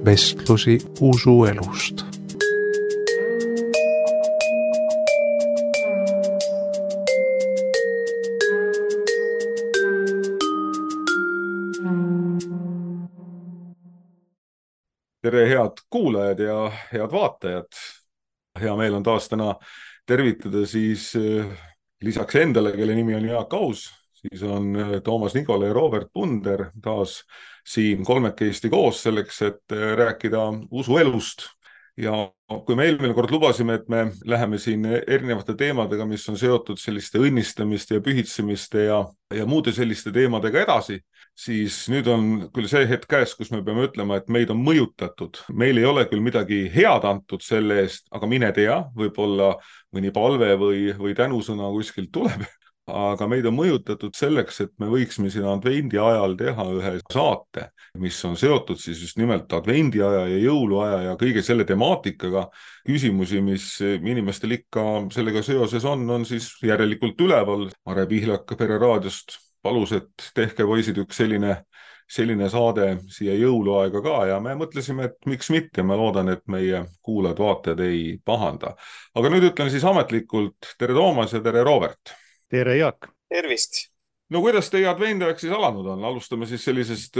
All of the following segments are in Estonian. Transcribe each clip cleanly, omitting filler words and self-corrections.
vestlusi usuelust. Tere, head kuulajad ja head vaatajad. Hea meel on taas täna tervitada siis lisaks endale, kelle nimi on Jaak Aus, siis on Toomas Nikola ja Robert Punder taas siin kolmekesti koos selleks, et rääkida usuelust. Ja kui me eelmine kord lubasime, et me läheme siin erinevate teemadega, mis on seotud selliste õnnistamiste ja pühitsemiste ja muude selliste teemadega edasi, siis nüüd on küll see hetk käes, kus me peame ütlema, et meid on mõjutatud. Meil ei ole küll midagi head antud selle eest, aga mine tea, võib-olla mõni palve või tänusõna kuskilt tuleb. Aga meid on mõjutatud selleks, et me võiksime siin advendi ajal teha ühe saate, mis on seotud siis just nimelt advendi aja ja jõuluaja ja kõige selle temaatikaga. Küsimusi, mis inimestel ikka sellega seoses on siis järelikult üleval. Mare Pihlak Pere raadiost palus, et tehke poisid üks selline saade siia jõuluaega ka ja me mõtlesime, et miks mitte. Ma loodan, et meie kuulajad-vaatajad ei pahanda. Aga nüüd ütlen siis ametlikult tere Toomas ja tere Robert. Tere Jaak. Tervist. No kuidas teie advendiaeg siis alanud on? Alustame siis sellisest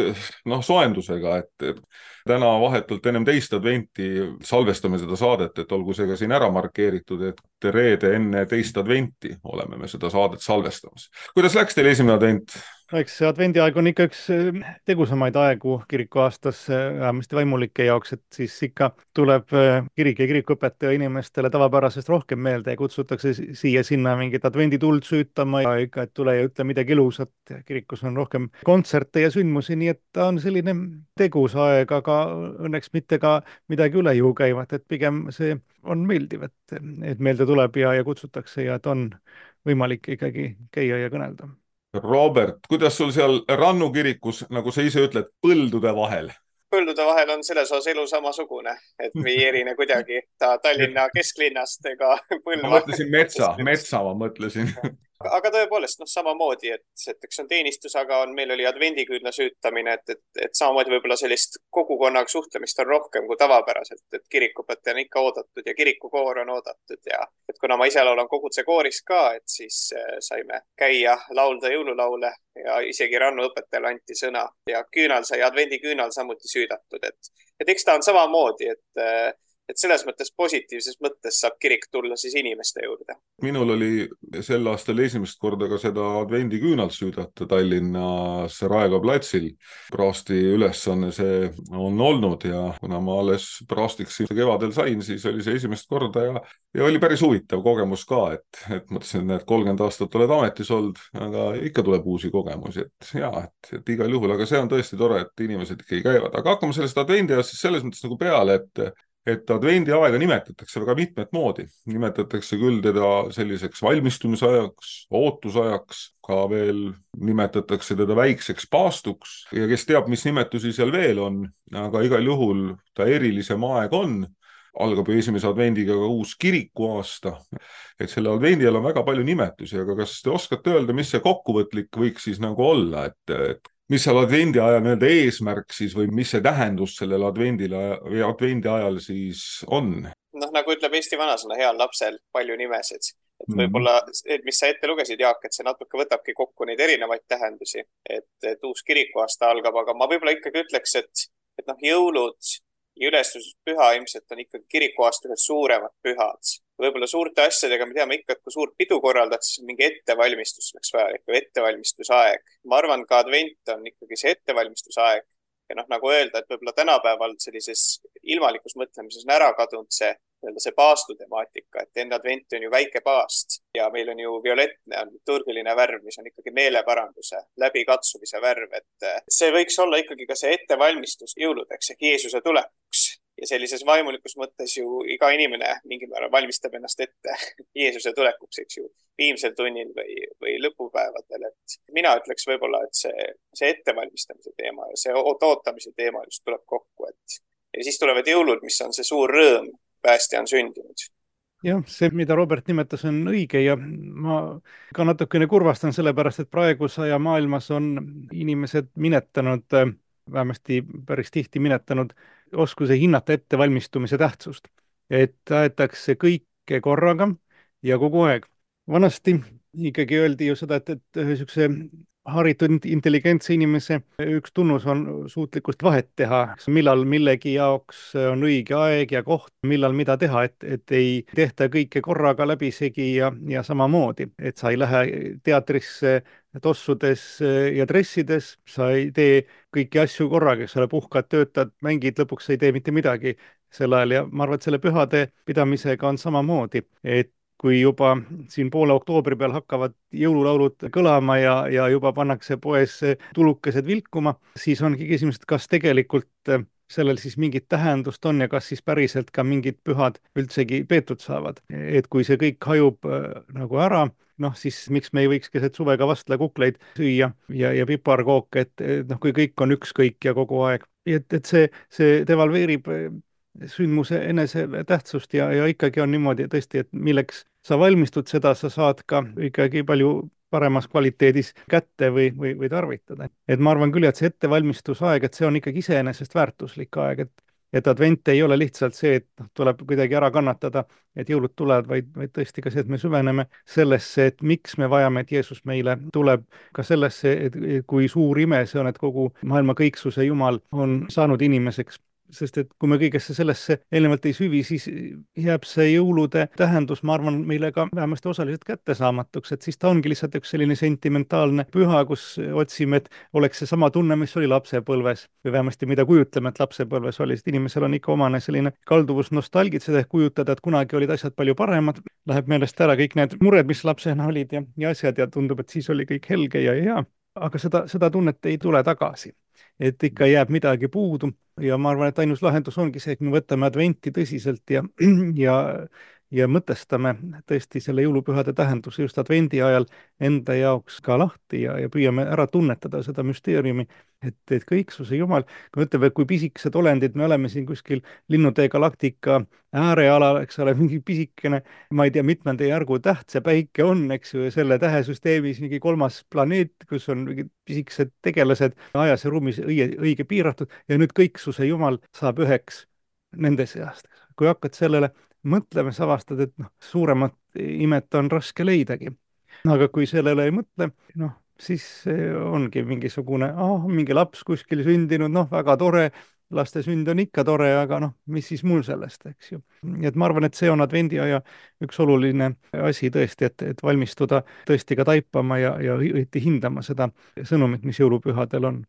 soendusega, et täna vahetult ennem teist adventi salvestame seda saadet, et olgu see ka siin ära markeeritud, et reede enne teist adventi oleme me seda saadet salvestamas. Kuidas läks teil esimene advent? Eks see advendiaeg on ikka üks tegusamaid aegu kiriku aastas, vähemasti vaimulike jaoks, et siis ikka tuleb kirik ja kirikuõpetaja inimestele tavapärasest rohkem meelde ja kutsutakse siia-sinna mingit advendituld süütama ja ikka, et tule ja ütle midagi ilusat. Kirikus on rohkem kontserte ja sündmusi, nii et ta on selline tegus aeg, aga õnneks mitte ka midagi üle jõu käivat, et pigem see on meeldiv, et meelde tuleb ja kutsutakse ja et on võimalik ikkagi käia ja kõnelda. Robert, kuidas sul seal Rannu kirikus, nagu sa ise ütled, põldude vahel? Põldude vahel on selles osas elu samasugune, et me ei erine kuidagi Tallinna kesklinnast ega põlva. Ma mõtlesin metsa ma mõtlesin. Aga tõepoolest, samamoodi, et eks on teenistus, aga meil oli advendiküünla süütamine, et samamoodi võib-olla sellist kogukonnaga suhtlemist on rohkem kui tavapäraselt, et kirikuõpetaja on ikka oodatud ja kirikukoor on oodatud ja et kuna ma ise laulan koguduse kooris ka, et siis saime käia laulda jõululaule ja isegi Rannu õpetajale anti sõna ja advendiküünal samuti süüdatud, et eks ta on samamoodi, et selles mõttes positiivses mõttes saab kirik tulla siis inimeste juurde. Minul oli sel aastal esimest korda ka seda advendiküünalt süüdata Tallinnas Raekoja platsil. Praasti ülesanne see on olnud ja kuna ma alles praastiks kevadel sain, siis oli see esimest korda ja oli päris huvitav kogemus ka, et mõtlesin, et 30 aastat oled ametis olnud, aga ikka tuleb uusi kogemusi, et igal juhul, aga see on tõesti tore, et inimesed ikkagi käivad. Aga hakkame sellest advendiajast siis selles mõttes nagu peale, et advendi aega nimetatakse väga mitmet moodi. Nimetatakse küll teda selliseks valmistumisajaks, ootusajaks, ka veel nimetatakse teda väikseks paastuks ja kes teab, mis nimetusi seal veel on, aga igal juhul ta erilisem aeg on. Algab ju esimese advendiga ka uus kirikuaasta, et selle advendi ajal on väga palju nimetusi, aga kas te oskate öelda, mis see kokkuvõtlik võiks siis nagu olla, et mis seal advendi ajal nii-öelda eesmärk siis või mis see tähendus sellel advendi ajal siis on? Nagu ütleb Eesti vanasõna, heal lapsel palju nimesid. Et võib-olla, mis sa ette lugesid, Jaak, et see natuke võtabki kokku neid erinevaid tähendusi, et uus kirikuaasta algab, aga ma võib-olla ikkagi ütleks, et jõulud ja ülestõusmispüha ilmselt on ikkagi kirikuaasta ühed suuremad pühad. Võib-olla suurte asjadega me teame ikka, et kui suurt pidu korraldad, siis mingi ettevalmistus oleks vaja, ettevalmistusaeg. Ma arvan, ka advent on ikkagi see ettevalmistusaeg. Ja nagu öelda, et võib-olla tänapäeval sellises ilmalikus mõtlemises on ära kadunud see paastu temaatika, et enne adventi on ju väike paast ja meil on ju violettne, on liturgiline värv, mis on ikkagi meeleparanduse, läbikatsumise värv, et see võiks olla ikkagi ka see ettevalmistus jõuludeks ehk Jeesuse tulekuks. Ja sellises vaimulikus mõttes ju iga inimene mingil määral valmistab ennast ette Jeesuse tulekuks, eks ju, viimsel tunnil või lõpupäevadel. Et mina ütleks võib-olla, et see ettevalmistamise teema ja see ootamise teema just tuleb kokku. Ja siis tulevad jõulud, mis on see suur rõõm, päästja on sündinud. Jah, see, mida Robert nimetas, on õige ja ma ka natukene kurvastan sellepärast, et praegusaja maailmas on inimesed minetanud, vähemasti päris tihti minetanud oskuse hinnata ettevalmistumise tähtsust, et aetakse kõike korraga ja kogu aeg. Vanasti ikkagi öeldi ju seda, et niisuguse haritud intelligentse inimese üks tunnus on suutlikkust vahet teha, millal millegi jaoks on õige aeg ja koht, millal mida teha, et ei tehta kõike korraga läbisegi ja samamoodi, et sa ei lähe teatrisse tossudes ja dressides, sa ei tee kõiki asju korraga, sa puhkad, töötad, mängid, lõpuks ei tee mitte midagi sel ajal ja ma arvan, et selle pühade pidamisega on samamoodi, et kui juba siin poole oktoobri peal hakkavad jõululaulud kõlama ja juba pannakse poes tulukesed vilkuma, siis ongi küsimus, et kas tegelikult sellel siis mingit tähendust on ja kas siis päriselt ka mingid pühad üldsegi peetud saavad. Et kui see kõik hajub nagu ära, noh siis miks me ei võiks keset suve ka vastlakukleid süüa ja piparkooke, et noh, kui kõik on ükskõik ja kogu aeg. Et see devalveerib sündmuse enese tähtsust ja ikkagi on niimoodi tõesti, et milleks sa valmistud, seda sa saad ka ikkagi palju paremas kvaliteedis kätte või tarvitada. Et ma arvan küll, et see ettevalmistusaeg, et see on ikkagi iseenesest väärtuslik aeg, et advent ei ole lihtsalt see, et tuleb kuidagi ära kannatada, et jõulud tulevad, vaid tõesti ka see, et me süveneme sellesse, et miks me vajame, et Jeesus meile tuleb, ka sellesse, et kui suur ime see on, et kogu maailma kõiksuse Jumal on saanud inimeseks. Sest et kui me kõigesse sellesse eelnevalt ei süvi, siis jääb see jõulude tähendus, ma arvan, meile ka vähemasti osaliselt kättesaamatuks, et siis ta ongi lihtsalt üks selline sentimentaalne püha, kus otsime, et oleks see sama tunne, mis oli lapsepõlves või vähemasti mida kujutleme, et lapsepõlves oli, sest inimesel on ikka omane selline kalduvus nostalgitseda ehk kujutada, et kunagi olid asjad palju paremad, läheb meelest ära kõik need mured, mis lapsena olid ja asjad ja tundub, et siis oli kõik helge ja hea, aga seda tunnet ei tule tagasi. Et ikka jääb midagi puudu ja ma arvan, et ainus lahendus ongi see, et me võtame adventi tõsiselt ja mõtestame tõesti selle jõulupühade tähenduse just advendi ajal enda jaoks ka lahti ja püüame ära tunnetada seda müsteeriumi, et kõiksuse Jumal, kui ütleme, et kui pisikesed olendid, me oleme siin kuskil Linnutee galaktika äärealal, eks ole, mingi pisikene, ma ei tea, mitmenda järgu täht see päike on, eks ju, ja selle tähesüsteemis mingi 3. planeet, kus on mingid pisikesed tegelased ajas ja ruumis õige piiratud ja nüüd kõiksuse Jumal saab üheks nende seast. Kui hakkad sellele mõtlema, sa avastad, et noh, suuremat imet on raske leidagi. Aga kui sellele ei mõtle, noh, siis ongi mingisugune, mingi laps kuskil sündinud, noh, väga tore, laste sünd on ikka tore, aga noh, mis siis mul sellest, eks ju. Et ma arvan, et see on advendiaja üks oluline asi tõesti, et valmistuda tõesti ka taipama ja õieti hindama seda sõnumit, mis jõulupühadel on.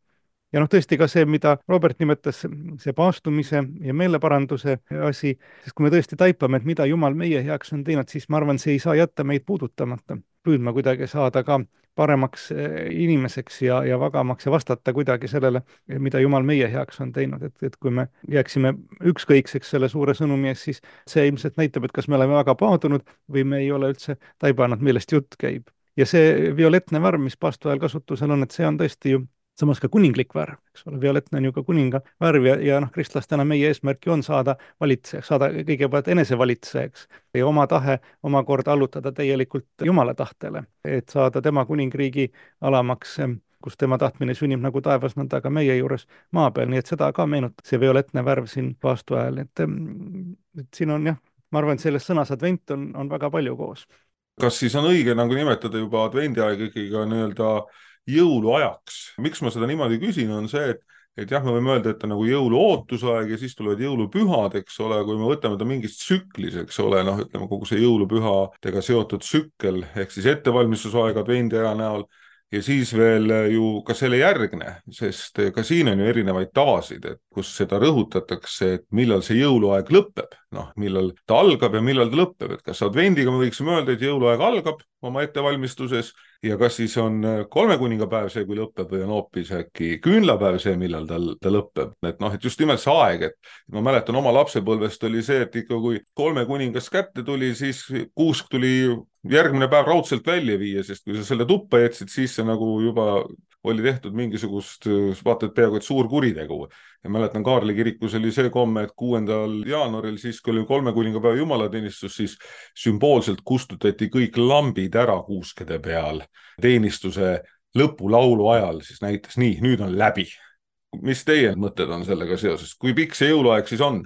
Ja noh, tõesti ka see, mida Robert nimetas, see paastumise ja meeleparanduse asi, sest kui me tõesti taipame, et mida Jumal meie heaks on teinud, siis ma arvan, see ei saa jätta meid puudutamata. Püüdma kuidagi saada ka paremaks inimeseks ja vagamaks ja vastata kuidagi sellele, mida Jumal meie heaks on teinud. Et kui me jääksime ükskõikseks selle suure sõnumi ees, siis see ilmselt näitab, et kas me oleme väga paadunud või me ei ole üldse taibanud, millest jutt käib. Ja see violetne värv, mis paastu ajal kasutusel on, et see on tõesti ju samas ka kuninglik värv, eks ole, violetne on ju ka kuninga värv ja noh, kristlastena meie eesmärki on saada valitsejaks, saada kõigepealt enesevalitsejaks ja oma tahe omakorda allutada täielikult Jumala tahtele, et saada tema kuningriigi alamaks, kus tema tahtmine sünnib nagu taevas, nõnda ka meie juures maa peal, nii et seda ka meenutab see violetne värv siin paastu ajal, et siin on jah, ma arvan, et selles sõnas advent on väga palju koos. Kas siis on õige nagu nimetada juba advendiaeg ikkagi ka nii-öelda jõuluajaks? Miks ma seda niimoodi küsin, on see, et jah, me võime öelda, et on nagu jõuluootusaeg ja siis tulevad jõulupühad, eks ole, kui me võtame ta mingist tsüklis, eks ole, noh, ütleme kogu see jõulupühadega seotud tsükkel ehk siis ettevalmistusaeg advendiaja näol ja siis veel ju ka selle järgne, sest ka siin on ju erinevaid tavasid, et kus seda rõhutatakse, et millal see jõuluaeg lõpeb, noh, millal ta algab ja millal ta lõpeb, et kas advendiga me võiksime öelda, et jõuluaeg algab oma ettevalmistuses ja kas siis on 3 kuningapäev see, kui lõpeb või on hoopis äkki küünlapäev see, millal ta lõpeb. Et noh, et just nimelt see aeg, et ma mäletan oma lapsepõlvest oli see, et ikka kui 3 kuningas kätte tuli, siis kuusk tuli järgmine päev raudselt välja viia, sest kui sa selle tuppa jätsid, siis see nagu juba oli tehtud mingisugust, vaatad peaaegu et suur kuritegu. Ja mäletan, Kaarli kirikus oli see komme, et 6. jaanuaril, siis kui oli 3 kuningapäeva jumalateenistus, siis sümboolselt kustutati kõik lambid ära kuuskede peal teenistuse lõpulaulu ajal, siis näitas nii, nüüd on läbi. mis teie mõtted on sellega seoses, kui pikk see jõuluaeg siis on?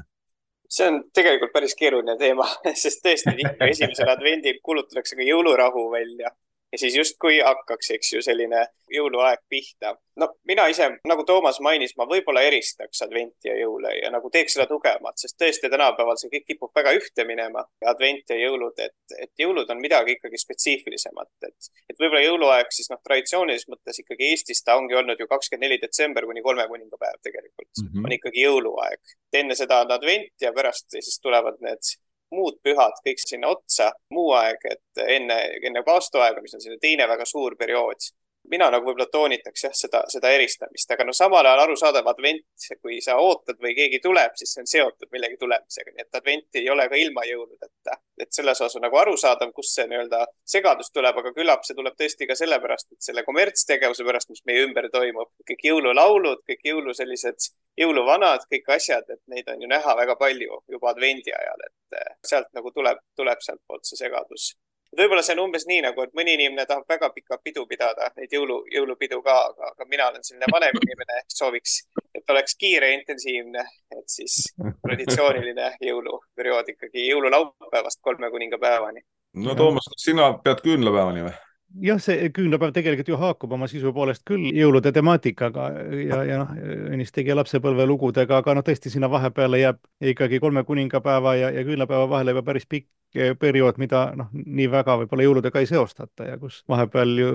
See on tegelikult päris keeruline teema, sest tõesti tihti esimesel advendil kulutatakse ka jõulurahu välja. Ja siis justkui hakkaks, eks ju, selline jõuluaeg pihta. No mina ise, nagu Toomas mainis, ma võib-olla eristaks adventi ja jõule ja nagu teeks seda tugevamalt, sest tõesti tänapäeval see kõik kipub väga ühte minema, advent ja jõulud, et jõulud on midagi ikkagi spetsiifilisemat. Et võib-olla jõuluaeg siis traditsioonilises mõttes ikkagi Eestis ta ongi olnud ju 24. detsember kuni 3 kuningapäev tegelikult. On ikkagi jõuluaeg. Enne seda on advent ja pärast siis tulevad need muud pühad, kõik sinna otsa, muu aeg, et enne paastoaega, mis on selline teine väga suur periood. Mina nagu võib-olla toonitaks seda eristamist, aga samal ajal arusaadav advent, kui sa ootad või keegi tuleb, siis see on seotud millegi tulemisega, nii et advent ei ole ka ilma jõuludeta. Et selles osas on nagu arusaadav, kus see segadus tuleb, aga küllap see tuleb tõesti ka sellepärast, et selle kommertstegevuse pärast, mis meie ümber toimub, kõik jõululaulud, kõik sellised jõuluvanad, kõik asjad, et neid on ju näha väga palju juba advendi ajal, et sealt nagu tuleb sealt poolt see segadus. Võib-olla see on umbes nii nagu, et mõni inimene tahab väga pikka pidu pidada, neid jõulupidu ka, aga mina olen selline vanem inimene, sooviks, et oleks kiire ja intensiivne, et siis traditsiooniline jõuluperiood ikkagi jõululaupäevast 3 kuningapäevani. No Toomas, kas sina pead küünlapäevani või? Jah, see küünlapäev tegelikult ju haakub oma sisu poolest küll jõulude temaatikaga ja Õnnis tegi lapsepõlve lugudega, aga tõesti sinna vahepeale jääb ikkagi 3 kuningapäeva ja küünlapäeva vahele juba päris pikk periood, mida nii väga võib-olla jõuludega ei seostata ja kus vahepeal ju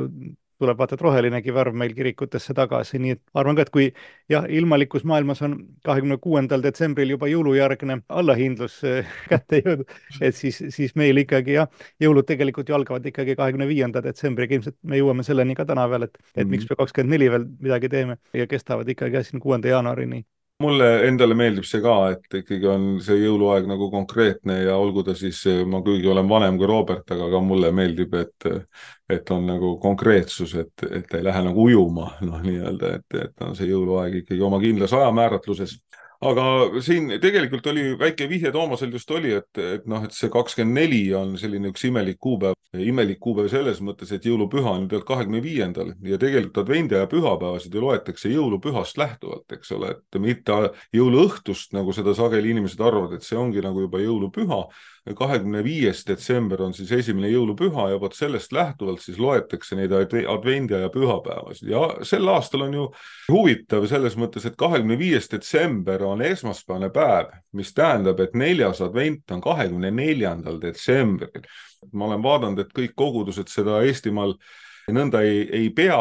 tuleb vaata, et rohelinegi värv meil kirikutesse tagasi, nii et arvan ka, et kui jah, ilmalikus maailmas on 26. detsembril juba jõulujärgne allahindlus kätte jõudnud, et siis meil ikkagi jõulud tegelikult ju algavad ikkagi 25. detsembriga, ilmselt me jõuame selleni ka täna veel, et miks me 24 veel midagi teeme ja kestavad ikkagi siin 6. jaanuarini. Mulle endale meeldib see ka, et ikkagi on see jõuluaeg nagu konkreetne ja olgu ta siis, ma kuigi olen vanem kui Robert, aga ka mulle meeldib, et on nagu konkreetsus, et ei lähe nagu ujuma, nii-öelda, et on see jõuluaeg ikkagi oma kindlas ajamääratluses. Aga siin tegelikult oli väike vihje Toomasel just oli, et see 24 on selline üks imelik kuupäev selles mõttes, et jõulupüha on pealt 25. ja tegelikult advendi ja pühapäevasid ju loetakse jõulupühast lähtuvalt, eks ole, et mitte jõuluõhtust, nagu seda sageli inimesed arvavad, et see ongi nagu juba jõulupüha. 25. detsember on siis esimene jõulupüha ja vot sellest lähtuvalt siis loetakse neid advendi ja pühapäevasid ja sel aastal on ju huvitav selles mõttes, et 25. detsember on esmaspäevane päev, mis tähendab, et 4. advent on 24. detsembril. Ma olen vaadanud, et kõik kogudused seda Eestimaal nõnda ei pea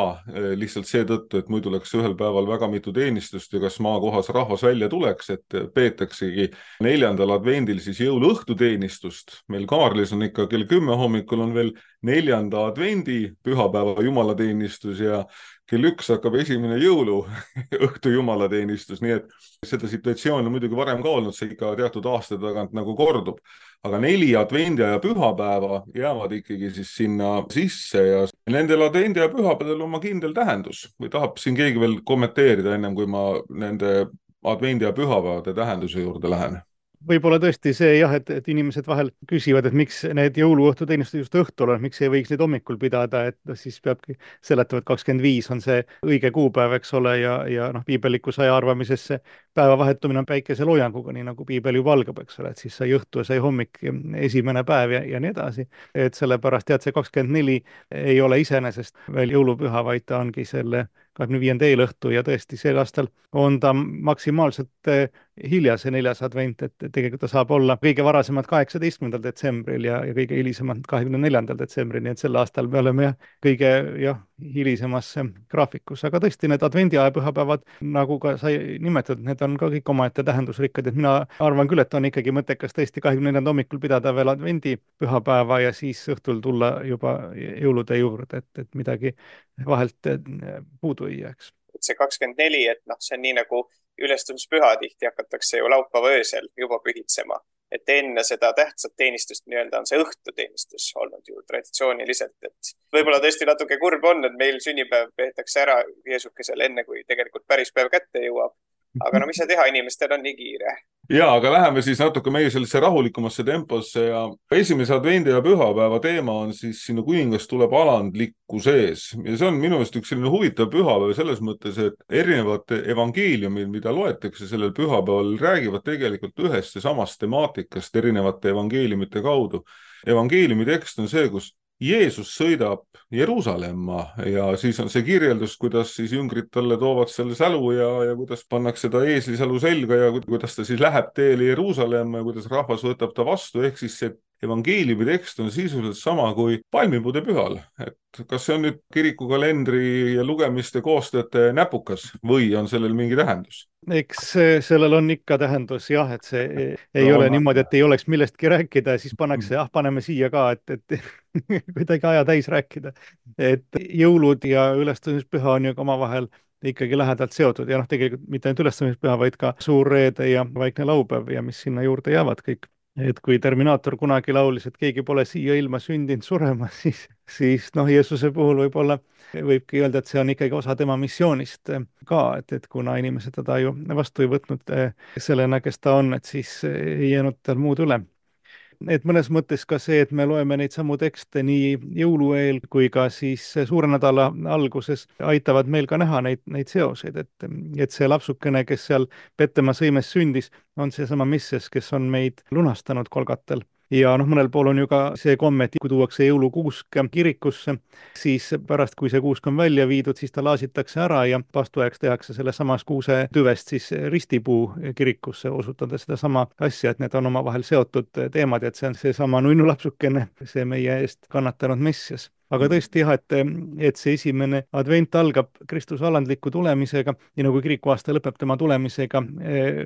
lihtsalt seetõttu, et muidu läks ühel päeval väga mitu teenistust ja kas maakohas rahvas välja tuleks, et peetaksegi 4. advendil siis jõuluõhtuteenistust. Meil Kaarlis on ikka kell 10 hommikul on veel 4. advendi pühapäeva jumalateenistus ja kell 1 hakkab esimene jõuluõhtu jumalateenistus, nii et seda situatsiooni on muidugi varem ka olnud, see ikka teatud aasta tagant nagu kordub. Aga 4 advendi ja pühapäeva jäävad ikkagi siis sinna sisse ja nendel advendi ja pühapäeval on oma kindel tähendus. Või tahab siin keegi veel kommenteerida ennem, kui ma nende advendi ja pühapäevade tähenduse juurde lähen? Võib-olla tõesti see jah, et inimesed vahel küsivad, et miks need jõuluõhtuteenistused just õhtul on, miks ei võiks neid hommikul pidada, et siis peabki seletama, et 25 on see õige kuupäev, eks ole, ja piibellikus aja arvamises see päeva vahetumine on päikeseloojanguga, nii nagu piibel juba algab, eks ole, et siis sai õhtu ja sai hommik esimene päev ja nii edasi. Et sellepärast tead, see 24 ei ole iseenesest veel jõulupüha, vaid ta ongi selle 25. eelõhtu ja tõesti sel aastal on ta maksimaalselt hilja see 4. advent, et tegelikult ta saab olla kõige varasemalt 18. detsembril ja kõige hilisemalt 24. detsembril, nii et sel aastal me oleme kõige hilisemas graafikus, aga tõesti need advendiaja pühapäevad, nagu ka sai nimetatud, need on ka kõik omaette tähendusrikkad, et mina arvan küll, et on ikkagi mõttekas tõesti 24. hommikul pidada veel advendi pühapäeva ja siis õhtul tulla juba jõulude juurde, et midagi vahelt puudu ei jääks. See 24, et see on nii nagu ülestumispüha tihti hakatakse ju laupäeva öösel juba pühitsema, et enne seda tähtsat teenistust nii-öelda on see õhtuteenistus olnud ju traditsiooniliselt, et võib-olla tõesti natuke kurb on, et meil sünnipäev peetakse ära Jeesukesel enne, kui tegelikult päris päev kätte jõuab, aga no mis sa teha, inimestel on nii kiire. Ja, aga läheme siis natuke meie sellesse rahulikumasse temposse ja esimese advendi ja pühapäeva teema on siis sinu kuningas tuleb alandlikku sees. Ja see on minu meelest üks selline huvitav pühapäev selles mõttes, et erinevad evangeeliumid, mida loetakse sellel pühapäeval, räägivad tegelikult ühest ja samast temaatikast erinevate evangeeliumite kaudu. Evangeeliumi tekst on see, kus Jeesus sõidab Jeruusalemma ja siis on see kirjeldus, kuidas siis jüngrid talle toovad selle sälu ja kuidas pannakse ta eeslisälu selga ja kuidas ta siis läheb teele Jeruusalemma ja kuidas rahvas võtab ta vastu, ehk siis see evangeeliumi tekst on sisuliselt sama kui palmipuude pühal. Et kas see on nüüd kirikukalendri ja lugemiste koostajate näpukas või on sellel mingi tähendus? Eks sellel on ikka tähendus jah, et see ei ole niimoodi, et ei oleks millestki rääkida ja siis pannakse, paneme siia ka, et kuidagi aja täis rääkida. Et jõulud ja ülestõusmispüha on ju omavahel ikkagi lähedalt seotud ja tegelikult mitte ainult ülestõusmispüha, vaid ka suur reede ja vaikne laupäev ja mis sinna juurde jäävad kõik. Et kui Terminaator kunagi laulis, et keegi pole siia ilma sündinud surema, siis Jeesuse puhul võibki öelda, et see on ikkagi osa tema missioonist ka, et kuna inimesed teda ju vastu ei võtnud sellena, kes ta on, et siis ei jäänud tal muud üle. Et mõnes mõttes ka see, et me loeme neid samu tekste nii jõulueel kui ka siis suure nädala alguses, aitavad meil ka näha neid seoseid, et see lapsukene, kes seal Petema sõimes sündis, on seesama Messias, kes on meid lunastanud Kolgatel. Ja mõnel pool on ju ka see komme, et kui tuuakse jõulukuusk kirikusse, siis pärast, kui see kuusk on välja viidud, siis ta laasitakse ära ja paastuajaks tehakse selle samas kuuse tüvest siis ristipuu kirikusse, osutades sedasama asja, et need on omavahel seotud teemad, et see on seesama nunnulapsukene, see meie eest kannatanud Messias. Aga tõesti jah, et see esimene advent algab Kristuse alandliku tulemisega, nii nagu kirikuaasta lõpeb tema tulemisega,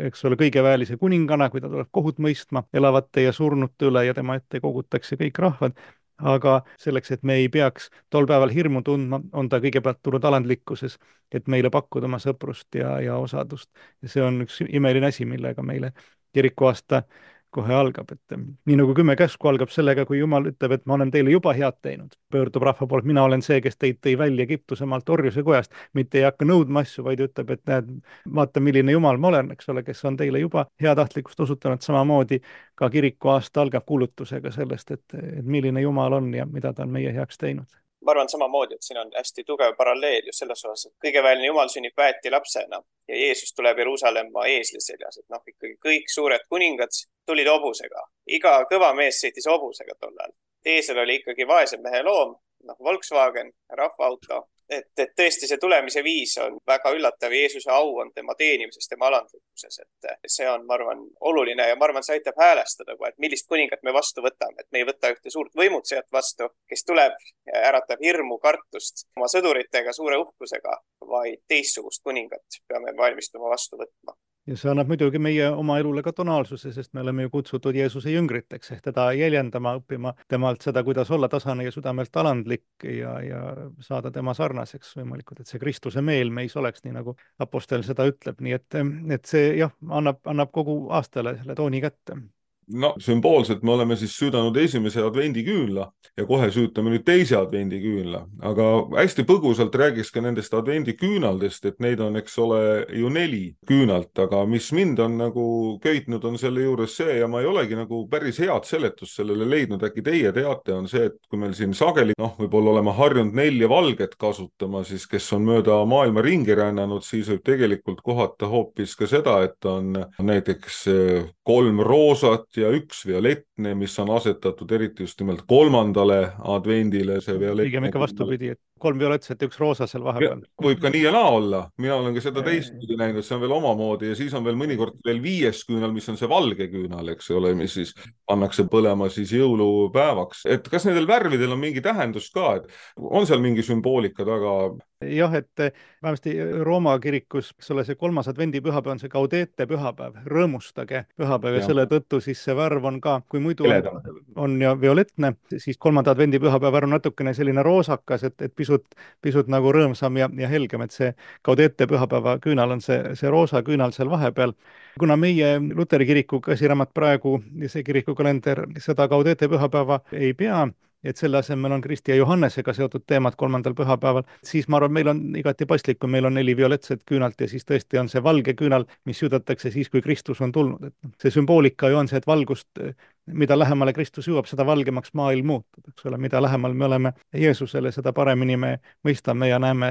eks ole, kõigeväelise kuningana, kui ta tuleb kohut mõistma elavate ja surnute üle ja tema ette kogutakse kõik rahvad. Aga selleks, et me ei peaks tol päeval hirmu tundma, on ta kõigepealt tulnud alandlikkuses, et meile pakkuda oma sõprust ja osadust. Ja see on üks imeline asi, millega meile kirikuaasta kohe algab, et nii nagu 10 käsku algab sellega, kui Jumal ütleb, et ma olen teile juba head teinud, pöördub rahva poolt, mina olen see, kes teid tõi välja Egiptuse maalt orjuse kojast, mitte ei hakka nõudma asju, vaid ütleb, et näed, vaata, milline Jumal ma olen, eks ole, kes on teile juba heatahtlikkust osutanud, samamoodi ka kirikuaasta algab kuulutusega sellest, et milline Jumal on ja mida ta on meie heaks teinud. Ma arvan samamoodi, et siin on hästi tugev paralleel just selles osas, et kõigeväeline Jumal sünnib väeti lapsena ja Jeesus tuleb Jeruusalemma eesli seljas, et ikkagi kõik suured kuningad tulid hobusega. Iga kõva mees sõitis hobusega tollal. Eesel oli ikkagi vaese mehe loom, Volkswagen, rahvaauto. Et tõesti see tulemise viis on väga üllatav ja Jeesuse au on tema teenimises, tema alandlikkuses, et see on, ma arvan, oluline ja ma arvan, see aitab häälestada, et millist kuningat me vastu võtame, et me ei võta ühte suurt võimutsejat vastu, kes tuleb ja äratab hirmu, kartust oma sõduritega, suure uhkusega, vaid teistsugust kuningat peame valmistuma vastu võtma. Ja see annab muidugi meie oma elule ka tonaalsuse, sest me oleme ju kutsutud Jeesuse jüngriteks, ehk teda jäljendama, õppima temalt seda, kuidas olla tasane ja südamelt alandlik ja saada tema sarnaseks võimalikult, et see Kristuse meel meis oleks, nii nagu apostel seda ütleb, nii et see jah, annab kogu aastale selle tooni kätte. No sümboolselt me oleme siis süüdanud esimese advendiküünla ja kohe süütame nüüd teise advendiküünla, aga hästi põgusalt räägiks ka nendest advendiküünaldest, et neid on, eks ole, ju 4 küünalt, aga mis mind on nagu köitnud, on selle juures see ja ma ei olegi nagu päris head seletust sellele leidnud, äkki teie teate, on see, et kui meil siin sageli, võib-olla oleme harjunud 4 valget kasutama, siis kes on mööda maailma ringi rännanud, siis võib tegelikult kohata hoopis ka seda, et on näiteks 3 roosat ja 1 violettne, mis on asetatud eriti just nimelt 3. advendile. Pigem ikka vastupidi, et 3 violettset ja 1 roosa seal vahepeal. Võib ka nii ja naa olla. Mina olen ka seda teistpidi näinud, see on veel omamoodi ja siis on veel mõnikord veel 5. küünal, mis on see valge küünal, eks ole, mis siis pannakse põlema siis jõulupäevaks. Et kas nendel värvidel on mingi tähendus ka, et on seal mingi sümboolika taga? Jah, et vähemasti Rooma kirikus see 3. advendipühapäev on see Gaudete pühapäev, rõõmustage pühapäev ja selle tõttu siis see värv on ka, kui muidu on ja violettne, siis 3. advendipühapäev värv on natukene selline roosakas, et pisut nagu rõõmsam ja helgem, et see Gaudete pühapäeva küünal on see roosa küünal seal vahepeal. Kuna meie Luteri kiriku käsiraamat praegu ja see kirikukalender seda Gaudete pühapäeva ei pea, et selle asemel on Kristi ja Johannesega seotud teemad 3. pühapäeval, siis ma arvan, meil on igati paslik, kui meil on 4 violetset küünalt ja siis tõesti on see valge küünal, mis südatakse siis, kui Kristus on tulnud. Et see sümboolika ju on see, et valgust, mida lähemale Kristus jõuab, seda valgemaks maailm muutub, eks ole, mida lähemal me oleme Jeesusele, seda paremini me mõistame ja näeme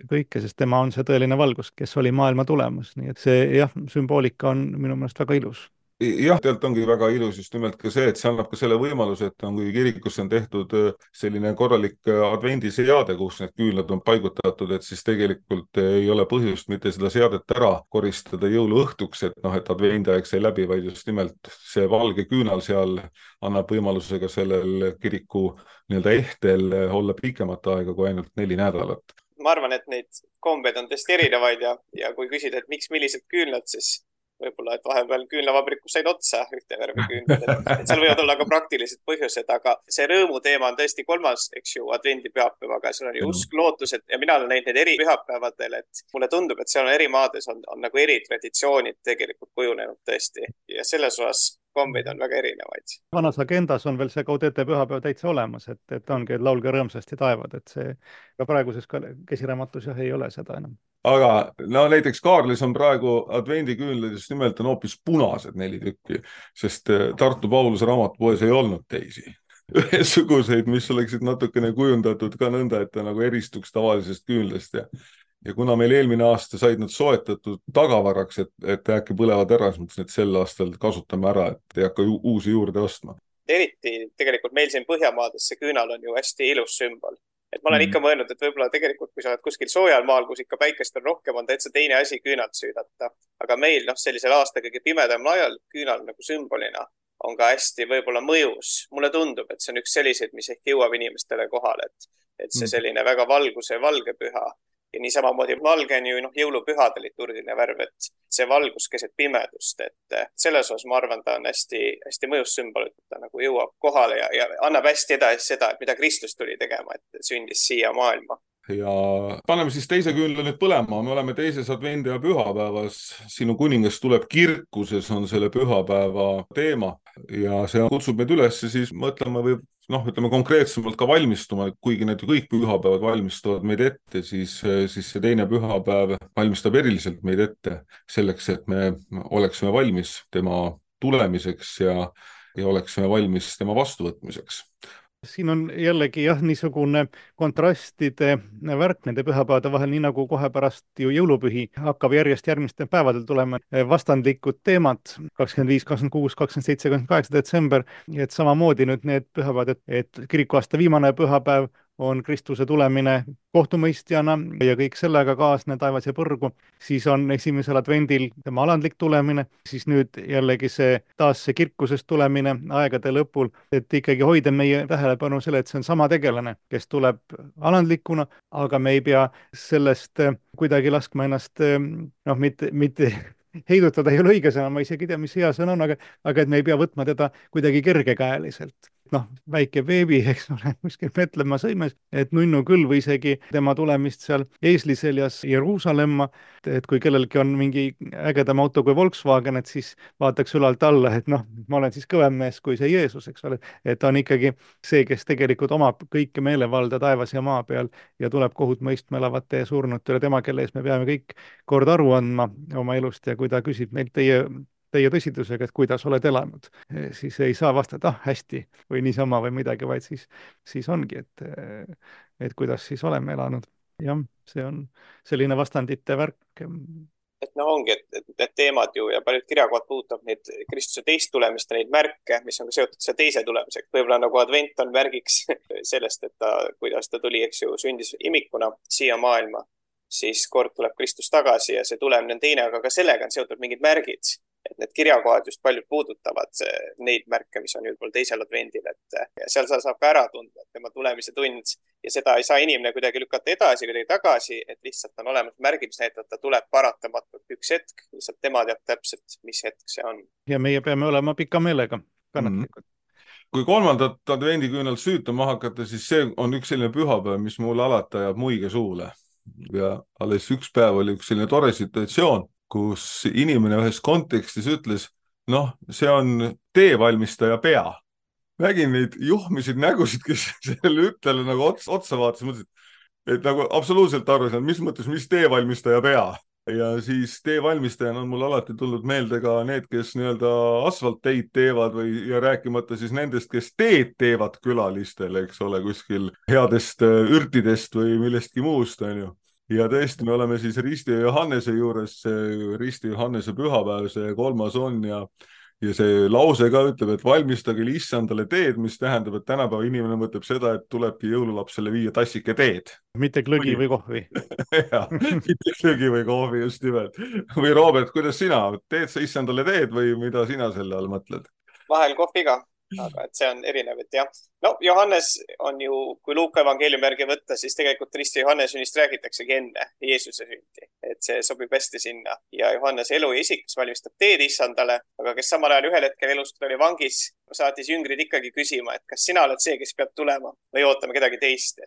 kõike, sest tema on see tõeline valgus, kes oli maailma tulemas, nii et see jah, sümboolika on minu meelest väga ilus. Jah, tegelikult ongi väga ilus just nimelt ka see, et see annab ka selle võimaluse, et kui kirikusse on tehtud selline korralik advendiseade, kus need küünlad on paigutatud, et siis tegelikult ei ole põhjust mitte seda seadet ära koristada jõuluõhtuks, et et advendiaeg sai läbi, vaid just nimelt see valge küünal seal annab võimaluse ka sellel kiriku nii-öelda ehtel olla pikemat aega kui ainult 4 nädalat. Ma arvan, et neid kombeid on tõesti erinevaid ja kui küsida, et miks millised küünlad, siis võib-olla, et vahepeal küünlavabrikus said otsa ühte värvi küünlad, et seal võivad olla ka praktilised põhjused, aga see rõõmu teema on tõesti 3., eks ju, advendi pühapäev, aga seal on ju usk, lootused ja mina olen näinud neid eri pühapäevadel, et mulle tundub, et seal on eri maades on nagu eri traditsioonid tegelikult kujunenud tõesti ja selles osas kombeid on väga erinevaid. Vanas agendas on veel see Gaudete pühapäev täitsa olemas, et ongi, et laulge rõõmsasti taevad, et see ka praeguses käsiraamatus jah ei ole seda enam. Aga näiteks Kaarlis on praegu advendiküünlad just nimelt on hoopis punased 4 tükki, sest Tartu Pauluse raamatupoes ei olnud teisi ühesuguseid, mis oleksid natukene kujundatud ka nõnda, et ta nagu eristuks tavalisest küünlast ja kuna meil eelmine aasta said nad soetatud tagavaraks, et äkki põlevad ära, siis mõtlesin, et sel aastal kasutame ära, et ei hakka uusi juurde ostma. Eriti tegelikult meil siin Põhjamaades see küünal on ju hästi ilus sümbol. Et ma olen ikka mõelnud, et võib-olla tegelikult, kui sa oled kuskil soojal maal, kus ikka päikest on rohkem, on täitsa teine asi küünalt süüdata. Aga meil sellisel aasta kõige pimedamal ajal küünal nagu sümbolina on ka hästi võib-olla mõjus. Mulle tundub, et see on üks selliseid, mis ehk jõuab inimestele kohale, et see selline väga valguse valge püha. Ja nii samamoodi valge on ju jõulupühade liturgiline värv, et see valgus keset pimedust, et selles osas ma arvan, ta on hästi, hästi mõjus sümbol, et ta nagu jõuab kohale ja annab hästi edasi seda, et mida Kristus tuli tegema, et sündis siia maailma. Ja paneme siis teise küünla nüüd põlema, me oleme teises advendi ja pühapäevas, sinu kuningas tuleb kirkuses on selle pühapäeva teema ja see kutsub meid üles siis mõtlema või ütleme konkreetsemalt ka valmistuma, kuigi need kõik pühapäevad valmistuvad meid ette, siis see teine pühapäev valmistab eriliselt meid ette selleks, et me oleksime valmis tema tulemiseks ja oleksime valmis tema vastuvõtmiseks. Siin on jällegi jah, niisugune kontrastide värk nende pühapäevade vahel, nii nagu kohe pärast ju jõulupühi hakkab järjest järgmistel päevadel tulema vastandlikud teemad 25, 26, 27, 28 detsember, et samamoodi nüüd need pühapäevad, et kirikuaasta viimane pühapäev on Kristuse tulemine kohtumõistjana ja kõik sellega kaasne taevas ja põrgu, siis on esimesel advendil tema alandlik tulemine, siis nüüd jällegi see taas see kirkusest tulemine aegade lõpul, et ikkagi hoida meie tähelepanu selle, et see on sama tegelane, kes tuleb alandlikuna, aga me ei pea sellest kuidagi laskma ennast mitte heidutada ei ole õige sõna, ma isegi ei tea, mis hea sõna on, aga et me ei pea võtma teda kuidagi kergekäeliselt. Väike beebi, eks ole, kuskil Petlemma sõimes, et nunnu küll või isegi tema tulemist seal eesliseljas Jeruusalemma, et kui kellelgi on mingi ägedam auto kui Volkswagen, et siis vaataks ülalt alla, et ma olen siis kõvem mees kui see Jeesus, eks ole, et on ikkagi see, kes tegelikult omab kõike meelevalda taevas ja maa peal ja tuleb kohut mõistma elavate ja surnutele, tema, kelle ees me peame kõik kord aru andma oma elust ja kui ta küsib meilt teie tõsidusega, et kuidas oled elanud, siis ei saa vastata, hästi või niisama või midagi, vaid siis ongi, et kuidas siis oleme elanud. Jah, see on selline vastandite värk. Et ongi, et need teemad ju ja paljud kirjakohad puudutab neid Kristuse teist tulemist ja neid märke, mis on ka seotud see teise tulemisega. Võib-olla nagu advent on märgiks sellest, et kuidas ta tuli, eks ju, sündis imikuna siia maailma, siis kord tuleb Kristus tagasi ja see tulemine on teine, aga ka sellega on seotud mingid märgid. Et need kirjakohad just paljud puudutavad neid märke, mis on juba teisel advendil, et seal saab ka ära tunda, et tema tulemise tund ja seda ei saa inimene kuidagi lükata edasi, kuidagi tagasi, et lihtsalt on olemas märgid, mis näitab, et ta tuleb paratamatult üks hetk, lihtsalt tema teab täpselt, mis hetk see on. Ja meie peame olema pika meelega kannatlikud. Kui 3. advendiküünalt süütama hakata, siis see on üks selline pühapäev, mis mulle alati ajab muige suule ja alles üks päev oli üks selline tore situatsioon, kus inimene ühes kontekstis ütles, see on teevalmistaja pea. nägin neid juhmisid nägusid, kes sellele ütlele nagu otsa vaatas, mõtlesin, et nagu absoluutselt aru saanud, mis mõttes, mis teevalmistaja pea. Ja siis teevalmistajana on mul alati tulnud meelde ka need, kes nii-öelda asfaltteid teevad ja rääkimata siis nendest, kes teed teevad külalistele, eks ole, kuskil headest ürtidest või millestki muust, on ju. Ja tõesti, me oleme siis Risti ja Johannese juures, Risti Johannese pühapäev, see 3. on ja see lause ka ütleb, et valmistage issandale teed, mis tähendab, et tänapäeva inimene mõtleb seda, et tulebki jõululapsele viia tassike teed. Mitte klõgi või kohvi. Ja, mitte klõgi või kohvi, just nimelt. Või Robert, kuidas sina? Teed sa issandale teed või mida sina selle all mõtled? Vahel kohviga, aga et see on erinev, et jah. No Johannes on ju, kui Luuka evangeeliumi järgi võtta, siis tegelikult Risti Johannese sünnist räägitaksegi enne Jeesuse sündi. Et see sobib hästi sinna. Ja Johannese elu ja isik, kes valmistab teed issandale, aga kes samal ajal ühel hetkel elust, kui ta oli vangis, saatis jüngrid ikkagi küsima, et kas sina oled see, kes peab tulema või ootame kedagi teist.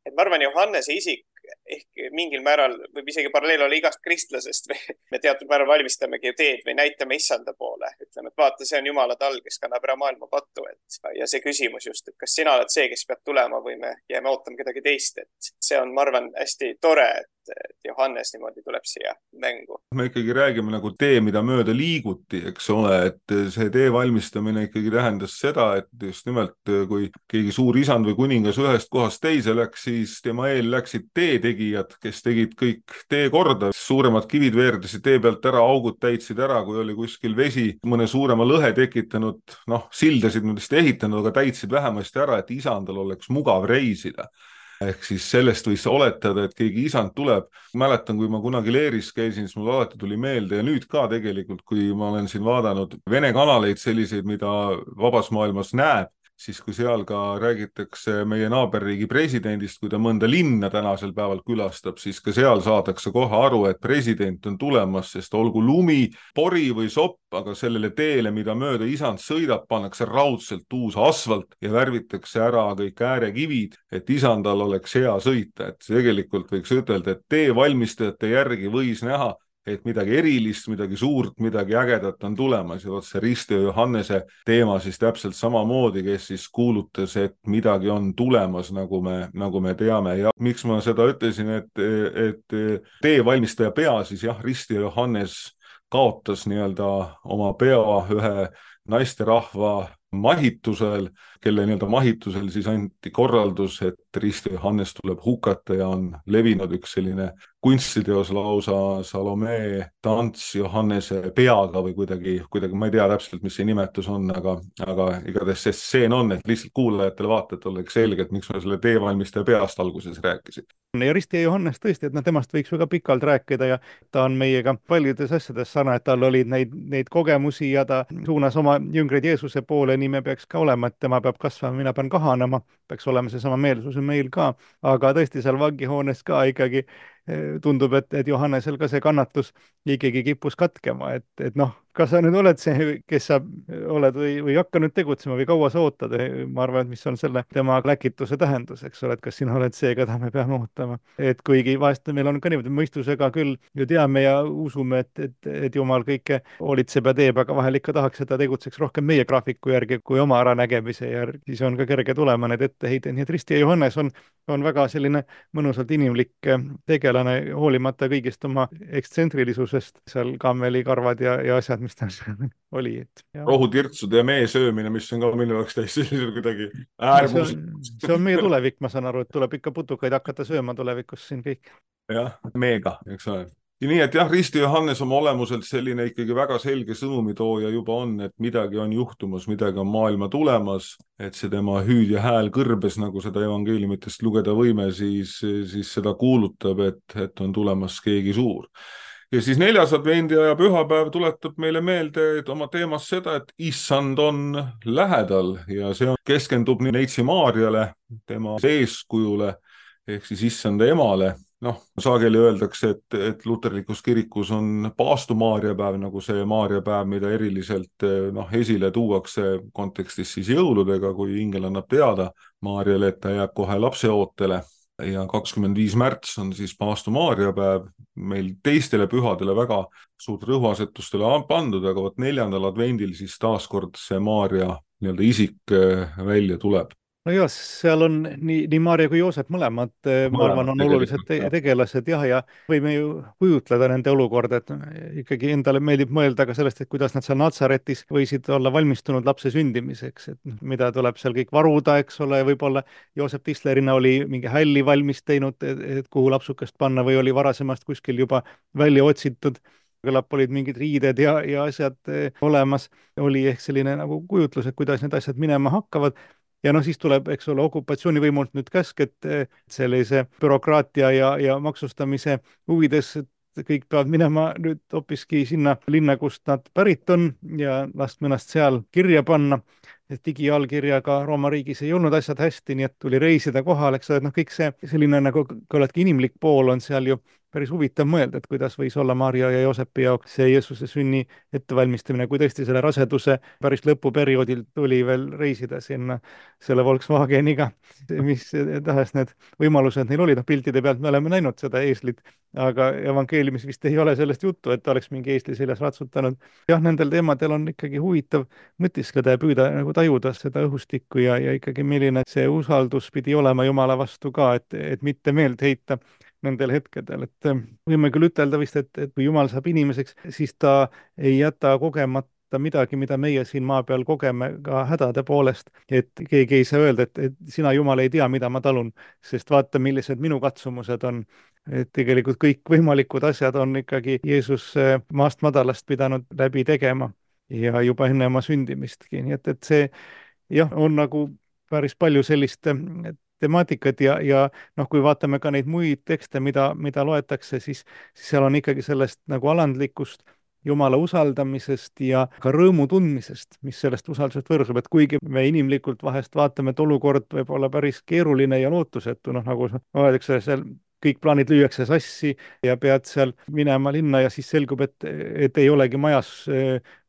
Et ma arvan, Johannese isik ehk mingil määral võib isegi paralleel olla igast kristlasest või me teatud määral valmistamegi teed või näitame issanda poole. Ütleme, et vaata, see on Jumala tall, kes kannab ära maailma pattu. Ja see küsimus just, et kas sina oled see, kes peab tulema või me jääme ootama kedagi teist. Et see on, ma arvan, hästi tore, et Johannes niimoodi tuleb siia mängu. Me ikkagi räägime nagu tee, mida mööda liiguti, eks ole, et see tee valmistamine ikkagi tähendas seda, et just nimelt kui keegi suur isand või kuningas ühest kohast teise läks, siis tema eel läksid teetegijad, kes tegid kõik tee korda. Suuremad kivid veerdasid tee pealt ära, augud täitsid ära, kui oli kuskil vesi mõne suurema lõhe tekitanud, sildasid nendest ehitanud, aga täitsid vähemasti ära, et isandal oleks mugav reisida. Ehk siis sellest võis oletada, et keegi isand tuleb. Mäletan, kui ma kunagi Leeris käisin, siis mul alati tuli meelde ja nüüd ka tegelikult, kui ma olen siin vaadanud Vene kanaleid selliseid, mida vabas maailmas näeb, siis kui seal ka räägitakse meie naaberriigi presidendist, kui ta mõnda linna tänasel päeval külastab, siis ka seal saadakse kohe aru, et president on tulemas, sest olgu lumi, pori või sopp, aga sellele teele, mida mööda isand sõidab, pannakse raudselt uus asfalt ja värvitakse ära kõik äärekivid, et isandal oleks hea sõita. Et tegelikult võiks ütelda, et tee valmistajate järgi võis näha, et midagi erilist, midagi suurt, midagi ägedat on tulemas ja see Risti ja Johannese teema siis täpselt samamoodi, kes siis kuulutas, et midagi on tulemas, nagu me teame. Ja miks ma seda ütlesin, et tee valmistaja pea siis jah, Risti ja Johannes kaotas nii-öelda oma pea ühe naisterahva mahitusel, kelle nii-öelda mahitusel siis anti korraldus, et Risti Johannes tuleb hukata ja on levinud üks selline kunstiteos lausa Salome tants Johannese peaga või kuidagi, ma ei tea täpselt, mis see nimetus on, aga igatahes see stseen on, et lihtsalt kuulajatele vaatajatele oleks selge, et miks ma selle teevalmistaja peast alguses rääkisin. Ja Risti ja Johannes tõesti, et temast võiks väga pikalt rääkida ja ta on meiega paljudes asjades sarnane, et tal olid neid kogemusi ja ta suunas oma jüngreid Jeesuse poole, nii me peaks ka olema, et tema peab kasvama, mina pean kahanema, peaks olema seesama meelsus meil ka, aga tõesti seal vangihoones ka ikkagi tundub, et Johannesel ka see kannatus ikkagi kippus katkema, et kas sa nüüd oled see, kes sa oled või hakka nüüd tegutsema või kaua sa ootad, ma arvan, et mis on selle tema läkituse tähendus, eks ole, et kas sina oled see, keda me peame ootama, et kuigi vahest meil on ka niimoodi mõistusega küll ju teame ja usume, et Jumal kõike hoolitseb ja teeb, aga vahel ikka tahaks, et ta tegutseks rohkem meie graafiku järgi kui oma äranägemise järgi, siis on ka kerge tulema need etteheided, nii et Risti ja Johannes on väga selline mõnusalt inimlik tegelane, hoolimata kõigist oma ekstsentrilisusest, seal kammelikarvad ja asjad, mis ta oli. Rohutirtsude ja mee söömine, mis on ka minu jaoks täiesti kuidagi äärmus. See on meie tulevik, ma saan aru, et tuleb ikka putukaid hakata sööma tulevikus siin kõik. Jah, meega, eks ole. Ja nii, et jah, Risti Johannes oma olemuselt selline ikkagi väga selge sõnumitooja juba on, et midagi on juhtumas, midagi on maailma tulemas, et see tema hüüd ja hääl kõrbes, nagu seda evangeeliumitest lugeda võime, siis seda kuulutab, et on tulemas keegi suur. Ja siis 4. advendiaja pühapäev tuletab meile meelde oma teemas seda, et issand on lähedal ja see keskendub Neitsi Maarjale, tema eeskujule ehk siis issanda emale. Sageli öeldakse, et luterlikus kirikus on paastu Maarjapäev, nagu see Maarjapäev, mida eriliselt esile tuuakse kontekstis siis jõuludega, kui ingel annab teada Maarjale, et ta jääb kohe lapseootele. Ja 25. märts on siis paastu Maarjapäev, meil teistele pühadele väga suurt rõhuasetustele pandud, aga 4. advendil siis taaskord see Maarja nii-öelda isik välja tuleb. no jah, seal on nii Maarja kui Joosep mõlemad, ma arvan, on olulised tegelased ja võime ju kujutleda nende olukorda, et ikkagi endale meeldib mõelda ka sellest, et kuidas nad seal Natsaretis võisid olla valmistunud lapse sündimiseks, et mida tuleb seal kõik varuda, eks ole, võib-olla Joosep Tislerina oli mingi hälli valmis teinud, et kuhu lapsukest panna või oli varasemast kuskil juba välja otsitud, küllap olid mingid riided ja asjad olemas, oli ehk selline nagu kujutlus, et kuidas need asjad minema hakkavad. Ja no siis tuleb, eks ole, okupatsioonivõimult nüüd käsk, et sellise bürokraatia ja maksustamise huvides, et kõik peavad minema nüüd hoopiski sinna linna, kust nad pärit on ja laskma ennast seal kirja panna. Et digiallkirjaga Rooma riigis ei olnud asjad hästi, nii et tuli reisida kohal, eks ole, et noh, kõik see selline nagu ka oledki inimlik pool on seal ju päris huvitav mõelda, et kuidas võis olla Maarja ja Joosepi jaoks see Jeesuse sünni ettevalmistamine, kui tõesti selle raseduse päris lõpuperioodil tuli veel reisida sinna selle Volkswageniga, mis tahes need võimalused neil olid, noh piltide pealt me oleme näinud seda eeslit, aga evangeeliumis vist ei ole sellest juttu, et oleks mingi eesli seljas ratsutanud. jah, nendel teemadel on ikkagi huvitav mõtiskleda ja püüda nagu tajuda seda õhustikku ja ikkagi milline see usaldus pidi olema Jumala vastu ka, et mitte meelt heita nendel hetkedel, et võime küll ütelda vist, et kui Jumal saab inimeseks, siis ta ei jäta kogemata midagi, mida meie siin maa peal kogeme ka hädade poolest, et keegi ei saa öelda, et sina, Jumal, ei tea, mida ma talun, sest vaata, millised minu katsumused on. Et tegelikult kõik võimalikud asjad on ikkagi Jeesus maast madalast pidanud läbi tegema ja juba enne oma sündimistki, nii et see jah, on nagu päris palju sellist temaatikat ja noh, kui vaatame ka neid muid tekste, mida loetakse, siis seal on ikkagi sellest nagu alandlikust Jumala usaldamisest ja ka rõõmu tundmisest, mis sellest usaldusest võrsub, et kuigi me inimlikult vahest vaatame, et olukord võib olla päris keeruline ja lootusetu, noh nagu öeldakse, seal kõik plaanid lüüakse sassi ja pead seal minema linna ja siis selgub, et ei olegi majas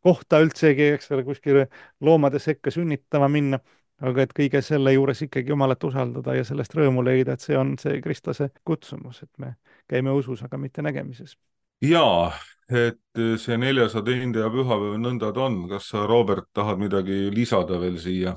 kohta üldsegi, eks ole, kuskile loomade sekka sünnitama minna, aga et kõige selle juures ikkagi Jumalat usaldada ja sellest rõõmu leida, et see on see kristlase kutsumus, et me käime usus, aga mitte nägemises. Jaa, et see 400 ja pühapäev nõnda ta on. Kas sa, Robert, tahad midagi lisada veel siia?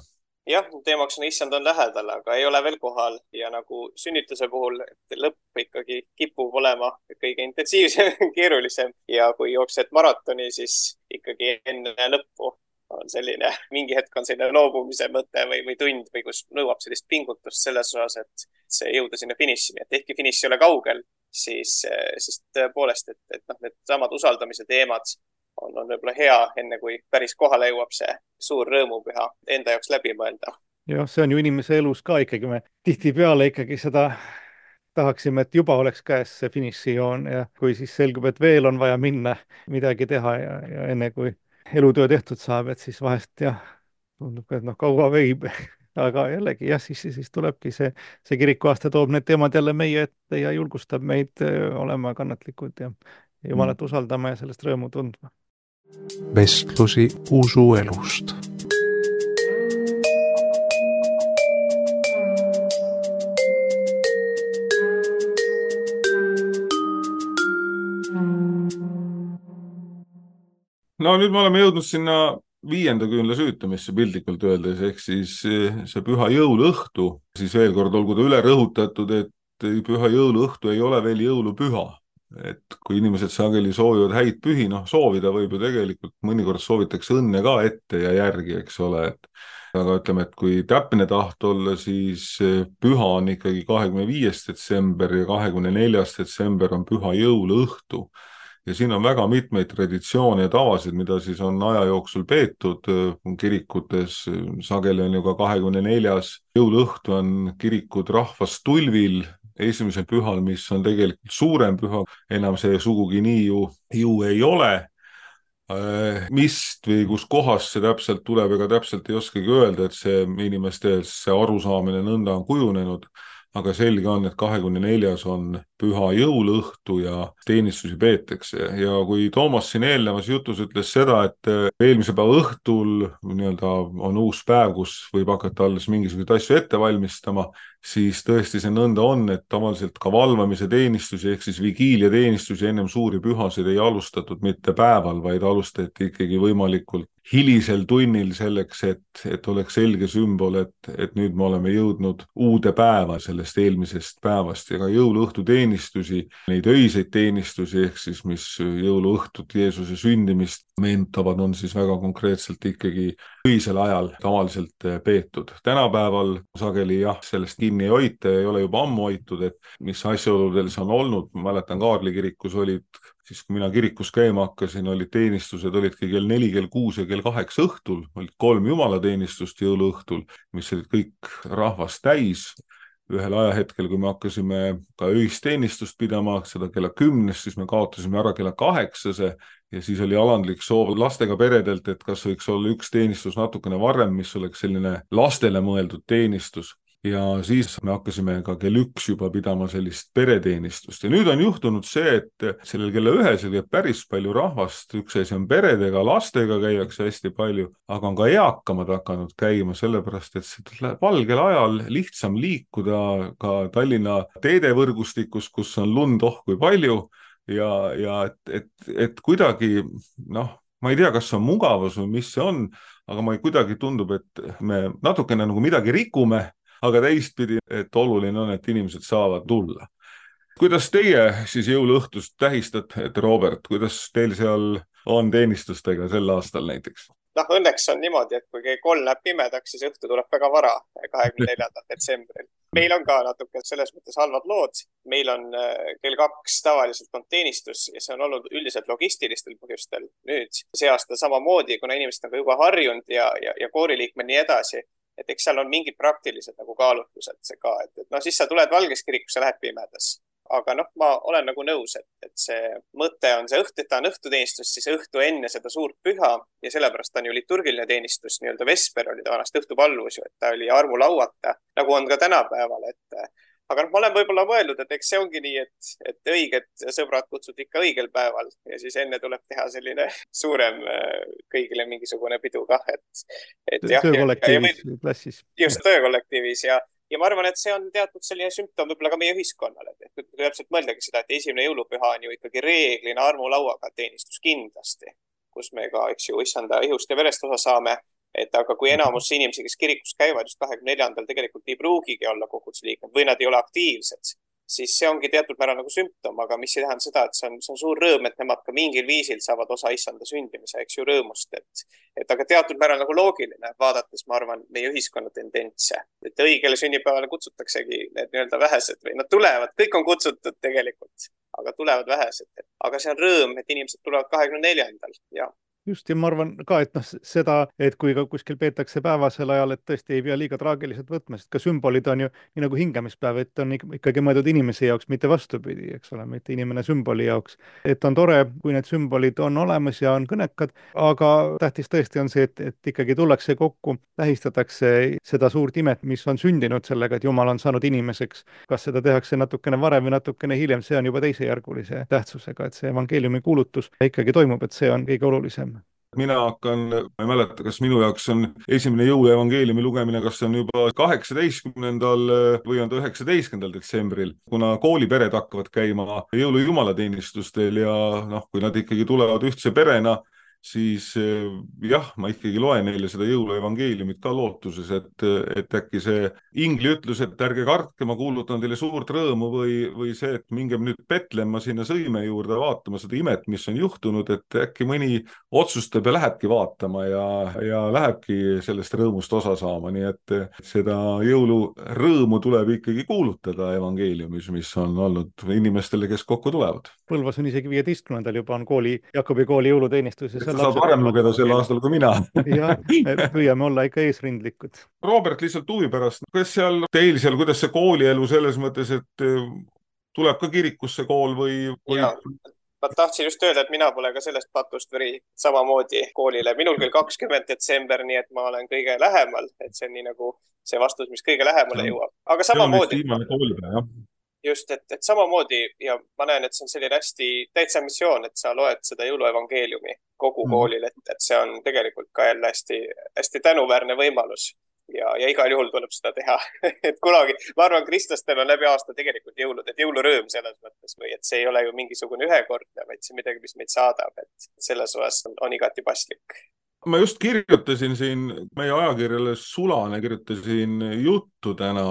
Jah, teemaks on issand on lähedal, aga ei ole veel kohal ja nagu sünnituse puhul lõpp ikkagi kipub olema kõige intensiivsem, keerulisem ja kui jooksed maratoni, siis ikkagi enne lõppu on selline, mingi hetk on selline loobumise mõte või tund või kus nõuab sellist pingutust selles osas, et see jõuda sinna finišini, et ehkki finiš ei ole kaugel, siis tõepoolest, et noh, need samad usaldamise teemad on võib-olla hea, enne kui päris kohale jõuab see suur rõõmupüha enda jaoks läbi mõelda. Jah, see on ju inimese elus ka ikkagi, me tihtipeale ikkagi seda tahaksime, et juba oleks käes see finišijoon ja kui siis selgub, et veel on vaja minna midagi teha ja enne kui elutöö tehtud saab, et siis vahest jah, tundub ka, et noh, kaua veib, aga jällegi jah, siis tulebki see kirikuaasta toob need teemad jälle meie ette ja julgustab meid olema kannatlikud ja Jumalat usaldama ja sellest rõõmu tundma. Vestlusi usuelust. No nüüd me oleme jõudnud sinna 5. küünla süütamisse piltlikult öeldes, ehk siis see püha jõuluõhtu, siis veel kord olgu ta üle rõhutatud, et püha jõuluõhtu ei ole veel jõulupüha. Et kui inimesed sageli soovivad häid pühi, noh soovida võib ju tegelikult, mõnikord soovitakse õnne ka ette ja järgi, eks ole, aga ütleme, et kui täpne taht olla, siis püha on ikkagi 25. detsember ja 24. detsember on püha jõuluõhtu. Ja siin on väga mitmeid traditsioone ja tavasid, mida siis on aja jooksul peetud kirikutes. Sageli on ju ka 24. jõuluõhtu on kirikud rahvas tulvil, esimesel pühal, mis on tegelikult suurem püha, enam see sugugi nii ju ei ole. Mist või kus kohas see täpselt tuleb, ega täpselt ei oskagi öelda, et see inimeste see arusaamine nõnda on kujunenud, aga selge on, et 24. on püha jõuluõhtu ja teenistusi peetakse. Ja kui Toomas siin eelnevas jutus ütles seda, et eelmise päeva õhtul nii-öelda on uus päev, kus võib hakata alles mingisuguseid asju ette valmistama, siis tõesti see nõnda on, et tavaliselt ka valvamise teenistusi ehk siis vigiilia teenistusi ennem suuri pühasid ei alustatud mitte päeval, vaid alustati ikkagi võimalikult hilisel tunnil selleks, et oleks selge sümbol, et nüüd me oleme jõudnud uude päeva sellest eelmisest päevast ja ka jõuluõhtu teenistusi, neid öiseid teenistusi ehk siis mis jõuluõhtut Jeesuse sündimist meenutavad, on siis väga konkreetselt ikkagi öisel ajal tavaliselt peetud. Tänapäeval sageli jah, sellest kinni ei hoita ja ei ole juba ammu hoitud, et mis asjaoludel see on olnud. Ma mäletan, Kaarli kirikus olid, siis kui mina kirikus käima hakkasin, olid teenistused, olidki kell 4, kell 6 ja kell 8 õhtul, olid 3 jumalateenistust jõuluõhtul, mis olid kõik rahvast täis. Ühel ajahetkel, kui me hakkasime ka öisteenistust pidama, seda kella 10, siis me kaotasime ära kella 8 ja siis oli alandlik soov lastega peredelt, et kas võiks olla üks teenistus natukene varem, mis oleks selline lastele mõeldud teenistus. Ja siis me hakkasime ka kell 1 juba pidama sellist pereteenistust. Ja nüüd on juhtunud see, et sellel kella 1 käib päris palju rahvast. Üks asi on peredega, lastega käiakse hästi palju, aga on ka eakamad hakanud käima, sellepärast et seda valgel ajal lihtsam liikuda ka Tallinna teedevõrgustikus, kus on lund kui palju ja et kuidagi, ma ei tea, kas see on mugavus või mis see on, aga ma kuidagi tundub, et me natukene nagu midagi rikume, aga teistpidi, et oluline on, et inimesed saavad tulla. Kuidas teie siis jõuluõhtust tähistate, Robert, kuidas teil seal on teenistustega sel aastal näiteks? Õnneks on niimoodi, et kui kell 3 läheb pimedaks, siis õhtu tuleb väga vara, 24. detsembril. Meil on ka natuke selles mõttes halvad lood. Meil on kell 2 tavaliselt on teenistus ja see on olnud üldiselt logistilistel põhjustel. Nüüd see aasta samamoodi, kuna inimesed on ka juba harjunud ja kooriliikmed nii edasi, et eks seal on mingid praktilised nagu kaalutlused see ka, et siis sa tuled Valges kirikus ja lähed pimedas. Aga ma olen nagu nõus, et see mõte on see õhtu, et ta on õhtuteenistus, siis õhtu enne seda suurt püha ja sellepärast on ju liturgiline teenistus, nii-öelda vesper oli ta vanast õhtupalvus ju, et ta oli armulauata, nagu on ka tänapäeval, aga ma olen võib-olla mõelnud, et eks see ongi nii, et õiged sõbrad kutsud ikka õigel päeval ja siis enne tuleb teha selline suurem kõigile mingisugune pidu kah, et töökollektiivis klassis. Just töökollektiivis ja ma arvan, et see on teatud selline sümptom võib-olla ka meie ühiskonnale, et kui täpselt mõeldagi seda, et esimene jõulupüha on ju ikkagi reeglina armulauaga teenistus kindlasti, kus me ka, eks ju, issanda ihust ja verest osa saame, aga kui enamus inimesi, kes kirikus käivad just 24. tegelikult ei pruugigi olla kogudusliikmed või nad ei ole aktiivsed, siis see ongi teatud määral nagu sümptom, aga mis ei tähenda seda, et see on suur rõõm, et nemad ka mingil viisil saavad osa issanda sündimise, eks ju, rõõmust, aga teatud määral nagu loogiline, vaadates, ma arvan, meie ühiskonna tendentse, et õigele sünnipäevale kutsutaksegi need nii-öelda vähesed või nad tulevad, kõik on kutsutud tegelikult, aga tulevad vähesed, aga see on rõõm, et inimesed tulevad 24. ja just, ja ma arvan ka, et seda, et kui ka kuskil peetakse päevasel ajal, et tõesti ei pea liiga traagiliselt võtma, sest ka sümbolid on ju nii nagu hingamispäev, et on ikkagi mõeldud inimese jaoks, mitte vastupidi, eks ole, mitte inimene sümboli jaoks. Et on tore, kui need sümbolid on olemas ja on kõnekad, aga tähtis tõesti on see, et ikkagi tullakse kokku, tähistatakse seda suurt imet, mis on sündinud sellega, et Jumal on saanud inimeseks. Kas seda tehakse natukene varem või natukene hiljem, see on juba teisejärgulise tähtsusega, et see evangeeliumi kuulutus ikkagi toimub, et see on kõige olulisem. Mina hakkan, ma ei mäleta, kas minu jaoks on esimene jõuluevangeeliumi lugemine, kas see on juba 18. või on ta 19. detsembril, kuna koolipered hakkavad käima jõulujumalateenistustel ja kui nad ikkagi tulevad ühtse perena, siis jah, ma ikkagi loen neile seda jõuluevangeeliumit ka lootuses, et äkki see ingli ütlus, et ärge kartke, ma kuulutan teile suurt rõõmu või see, et mingem nüüd Petlemma sinna sõime juurde vaatama seda imet, mis on juhtunud, et äkki mõni otsustab ja lähebki vaatama ja lähebki sellest rõõmust osa saama, nii et seda jõulurõõmu tuleb ikkagi kuulutada evangeeliumis, mis on olnud inimestele, kes kokku tulevad. Põlvas on isegi 15. juba on Jakobi kooli jõuluteenistus. Sa saad varem lugeda sel aastal kui mina. Jah, me püüame olla ikka eesrindlikud. Robert, lihtsalt huvi pärast, kas teil seal, kuidas see koolielu selles mõttes, et tuleb ka kirikusse kool või... Ja, ma tahtsin just öelda, et mina pole ka sellest patust või samamoodi koolile. Minul küll 20. detsember, nii et ma olen kõige lähemal, et see on nii nagu see vastus, mis kõige lähemale jõuab. Aga samamoodi... Just, et samamoodi ja ma näen, et see on selline hästi täitsa missioon, et sa loed seda jõuluevangeeliumi kogu koolil, et see on tegelikult ka jälle hästi tänuväärne võimalus ja igal juhul tuleb seda teha. Et kunagi, ma arvan, kristlastel on läbi aasta tegelikult jõulud, et jõulurõõm selles mõttes või et see ei ole ju mingisugune ühekordne, vaid see midagi, mis meid saadab, et selles osas on igati paslik. ma just kirjutasin siin meie ajakirjale Sulane, kirjutasin juttu täna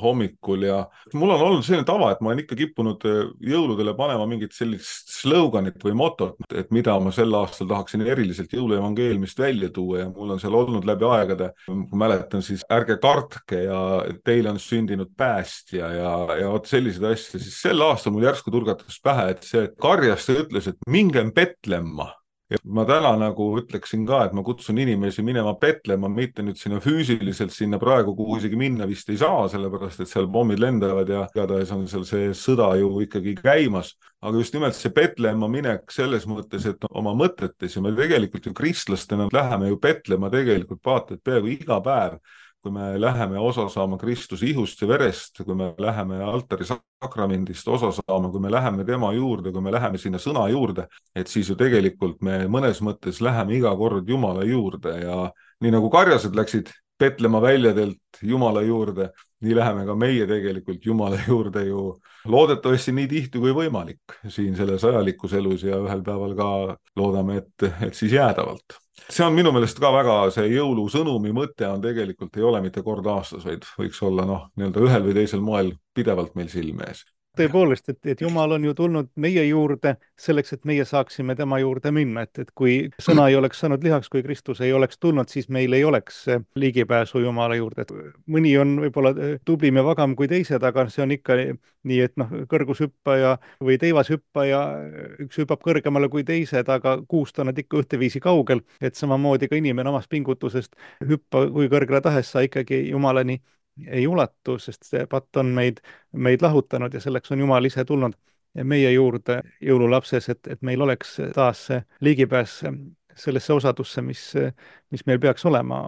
hommikul ja mul on olnud selline tava, et ma olen ikka kippunud jõuludele panema mingit sellist sloganit või motot, et mida ma sel aastal tahaksin eriliselt jõuluevangeeliumist välja tuua ja mul on seal olnud läbi aegade, kui mäletan, siis ärge kartke ja teile on sündinud päästja ja vot selliseid asju, siis sel aastal mul järsku turgatas pähe, et see karjastaja ütles, et mingem Petlemma. Ja ma täna nagu ütleksin ka, et ma kutsun inimesi minema petlema, mitte nüüd sinna füüsiliselt sinna praegu, kuhu isegi minna vist ei saa, sellepärast et seal pommid lendavad ja igatahes on seal see sõda ju ikkagi käimas. Aga just nimelt see petlema minek selles mõttes, et oma mõtetes ja me tegelikult ju kristlastena läheme ju petlema tegelikult vaata, et peaaegu iga päev, kui me läheme osa saama Kristuse ihust ja verest, kui me läheme altari sakramendist osa saama, kui me läheme tema juurde, kui me läheme sinna sõna juurde, et siis ju tegelikult me mõnes mõttes läheme iga kord Jumala juurde ja nii nagu karjased läksid petlema väljadelt Jumala juurde, nii läheme ka meie tegelikult Jumala juurde ju loodetavasti nii tihti kui võimalik siin selles ajalikus elus ja ühel päeval ka loodame, et siis jäädavalt. See on minu meelest ka väga see jõulusõnumi mõte on tegelikult ei ole mitte kord aastas, vaid võiks olla nii-öelda ühel või teisel moel pidevalt meil silme ees. Tõepoolest, et Jumal on ju tulnud meie juurde selleks, et meie saaksime tema juurde minna, et kui sõna ei oleks saanud lihaks, kui Kristus ei oleks tulnud, siis meil ei oleks ligipääsu Jumala juurde. Mõni on võib-olla tublim ja vagam kui teised, aga see on ikka nii, et kõrgushüppaja või teivashüppaja, üks hüppab kõrgemale kui teised, aga kuust on nad ikka ühteviisi kaugel, et samamoodi ka inimene omast pingutusest hüppa kui kõrgele tahes sa ikkagi Jumalani ei ulatu, sest see patt on meid lahutanud ja selleks on Jumal ise tulnud meie juurde jõululapses, et meil oleks taas ligipääs sellesse osadusse, mis meil peaks olema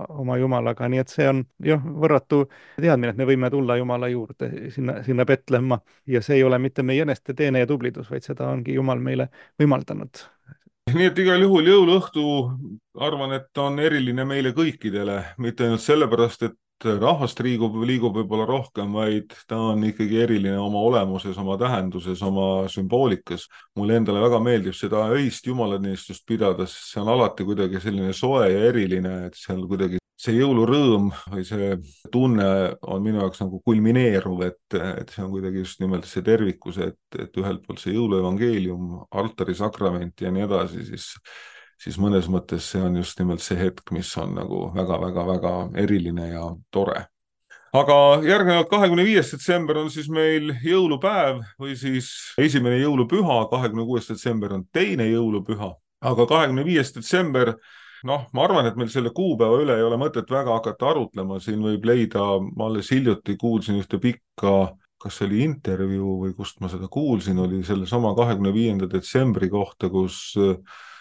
oma Jumalaga, nii et see on jah, võrratu teadmine, et me võime tulla Jumala juurde sinna Petlemma ja see ei ole mitte meie eneste teene ja tublidus, vaid seda ongi Jumal meile võimaldanud. Nii et igal juhul jõuluõhtu arvan, et on eriline meile kõikidele, mitte ainult sellepärast, et rahvast liigub võib-olla rohkem, vaid ta on ikkagi eriline oma olemuses, oma tähenduses, oma sümboolikas. Mulle endale väga meeldib seda öist jumalanistust pidada, sest see on alati kuidagi selline soe ja eriline, et seal kuidagi see jõulurõõm või see tunne on minu jaoks nagu kulmineeruv, et see on kuidagi just nimelt see tervikus, et ühelt poolt see jõuluevangeelium, altari sakrament ja nii edasi, siis mõnes mõttes see on just nimelt see hetk, mis on nagu väga-väga-väga eriline ja tore. Aga järgnevalt 25. detsember on siis meil jõulupäev või siis esimene jõulupüha, 26. detsember on teine jõulupüha, aga 25. detsember, ma arvan, et meil selle kuupäeva üle ei ole mõtet väga hakata arutlema, siin võib leida, ma alles hiljuti kuulsin ühte pikka, kas see oli intervjuu või kust ma seda kuulsin, oli selle sama 25. detsembri kohta, kus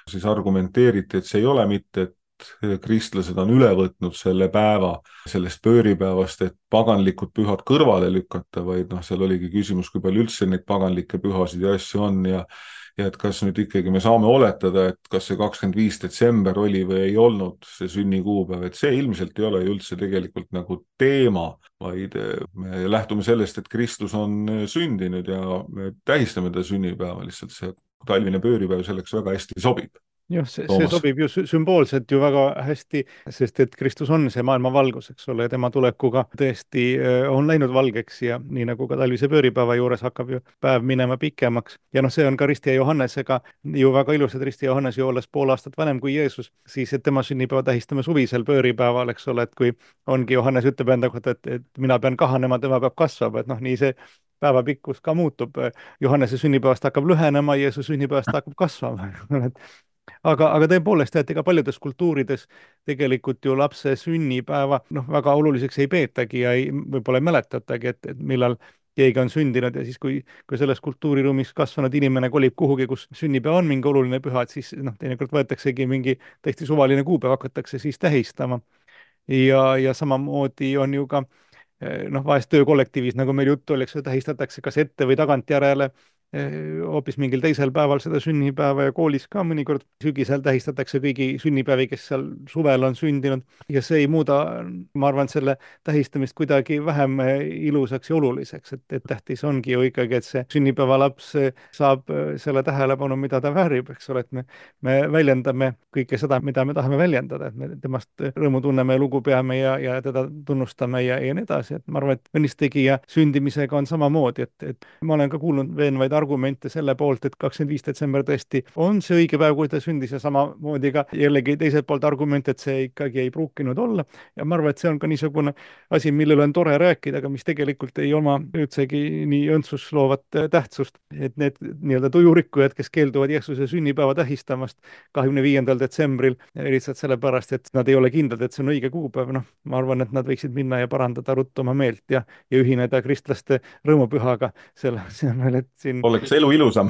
siis argumenteeriti, et see ei ole mitte, et kristlased on üle võtnud selle päeva sellest pööripäevast, et paganlikud pühad kõrvale lükata, vaid seal oligi küsimus, kui palju üldse neid paganlikke pühasid ja asju on ja et kas nüüd ikkagi me saame oletada, et kas see 25. detsember oli või ei olnud see sünnikuupäev, et see ilmselt ei ole üldse tegelikult nagu teema, vaid me lähtume sellest, et Kristus on sündinud ja me tähistame ta sünnipäeva, lihtsalt see talvine pööripäev selleks väga hästi sobib. Jah, see sobib ju sümboolselt ju väga hästi, sest et Kristus on see maailma valgus, eks ole, ja tema tulekuga tõesti on läinud valgeks ja nii nagu ka talvise pööripäeva juures hakkab ju päev minema pikemaks. Ja see on ka Risti ja Johannesega ju väga ilus, et Risti ja Johannes ju olles pool aastat vanem kui Jeesus, siis et tema sünnipäeva tähistame suvisel pööripäeval, eks ole, et kui ongi Johannes ütleb enda kohta, et mina pean kahanema, tema peab kasvama, et nii see päeva pikkus ka muutub. Johannese sünnipäevast hakkab lühenema, Jeesuse sünnipäevast hakkab kasvama. Aga tõepoolest, et ega paljudes kultuurides tegelikult ju lapse sünnipäeva väga oluliseks ei peetagi ja võib-olla ei mäletatagi, et millal keegi on sündinud ja siis, kui selles kultuuriruumis kasvanud inimene kolib kuhugi, kus sünnipäev on mingi oluline püha, et siis teinekord võetaksegi mingi täiesti suvaline kuupäev, hakatakse siis tähistama. Ja samamoodi on ju ka vahest töökollektiivis, nagu meil juttu oli, tähistatakse kas ette või tagantjärele hoopis mingil teisel päeval seda sünnipäeva ja koolis ka mõnikord sügisel tähistatakse kõigi sünnipäevi, kes seal suvel on sündinud ja see ei muuda, ma arvan, selle tähistamist kuidagi vähem ilusaks ja oluliseks, et tähtis ongi ju ikkagi, et see sünnipäevalaps saab selle tähelepanu, mida ta väärib, eks ole, et me väljendame kõike seda, mida me tahame väljendada, et me temast rõõmu tunneme, lugu peame ja teda tunnustame ja nii edasi, et ma arvan, et õnnistegija sündimisega on samamoodi, et ma olen ka kuulnud veenvaid argumente selle poolt, et 25. detsember tõesti on see õige päev, kui ta sündis ja samamoodi ka jällegi teiselt poolt argument, et see ikkagi ei pruukinud olla ja ma arvan, et see on ka niisugune asi, millele on tore rääkida, aga mis tegelikult ei oma üldsegi nii õndsust loovat tähtsust, et need nii-öelda tujurikkujad, kes keelduvad Jeesuse sünnipäeva tähistamast 25. detsembril lihtsalt sellepärast, et nad ei ole kindlad, et see on õige kuupäev, noh, ma arvan, et nad võiksid minna ja parandada ruttu oma meelt ja ühineda kristlaste rõõmupühaga selle asemel, et siin oleks elu ilusam.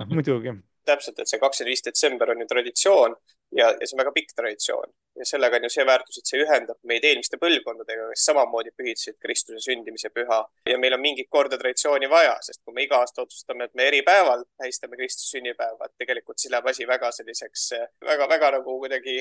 Muidugi. Täpselt, et see 25. detsember on ju traditsioon ja see on väga pikk traditsioon ja sellega on ju see väärtus, et see ühendab meid eelmiste põlvkondadega, kes samamoodi pühitsesid Kristuse sündimise püha ja meil on mingit korda traditsiooni vaja, sest kui me iga aasta otsustame, et me eri päeval tähistame Kristuse sünnipäeva, et tegelikult siis läheb asi väga selliseks, väga nagu kuidagi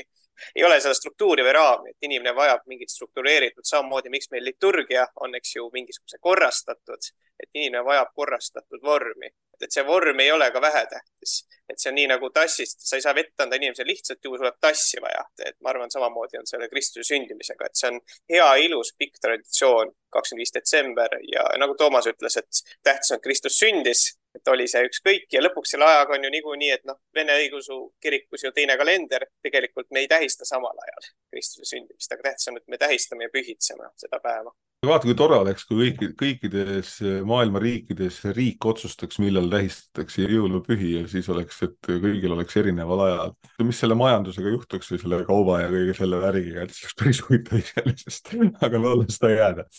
ei ole seda struktuuri või raami, et inimene vajab mingit struktureeritud, samamoodi miks meil liturgia on, eks ju, mingisuguse korrastatud, et inimene vajab korrastatud vormi. Et see vorm ei ole ka vähetähtis, et see on nii nagu tassist, sa ei saa vett anda inimesele lihtsalt, juhul tuleb tassi vaja, et ma arvan, samamoodi on selle Kristuse sündimisega, et see on hea, ilus, pikk traditsioon, 25. detsember ja nagu Toomas ütles, et tähtis on, et Kristus sündis, et oli see ükskõik ja lõpuks selle ajaga on ju niikuinii, et noh, Vene õigeusu kirikus ju teine kalender, tegelikult me ei tähista samal ajal Kristuse sündimist, aga tähtis on, et me tähistame ja pühitseme seda päeva. Vaata, kui tore oleks, kui kõikides maailma riikides riik otsustaks, millal tähistatakse jõulupühi ja siis oleks, et kõigil oleks erineval ajal. Mis selle majandusega juhtuks või selle kauba ja kõige selle värgiga, et see oleks päris huvitav iseenesest, aga loodame seda jääda.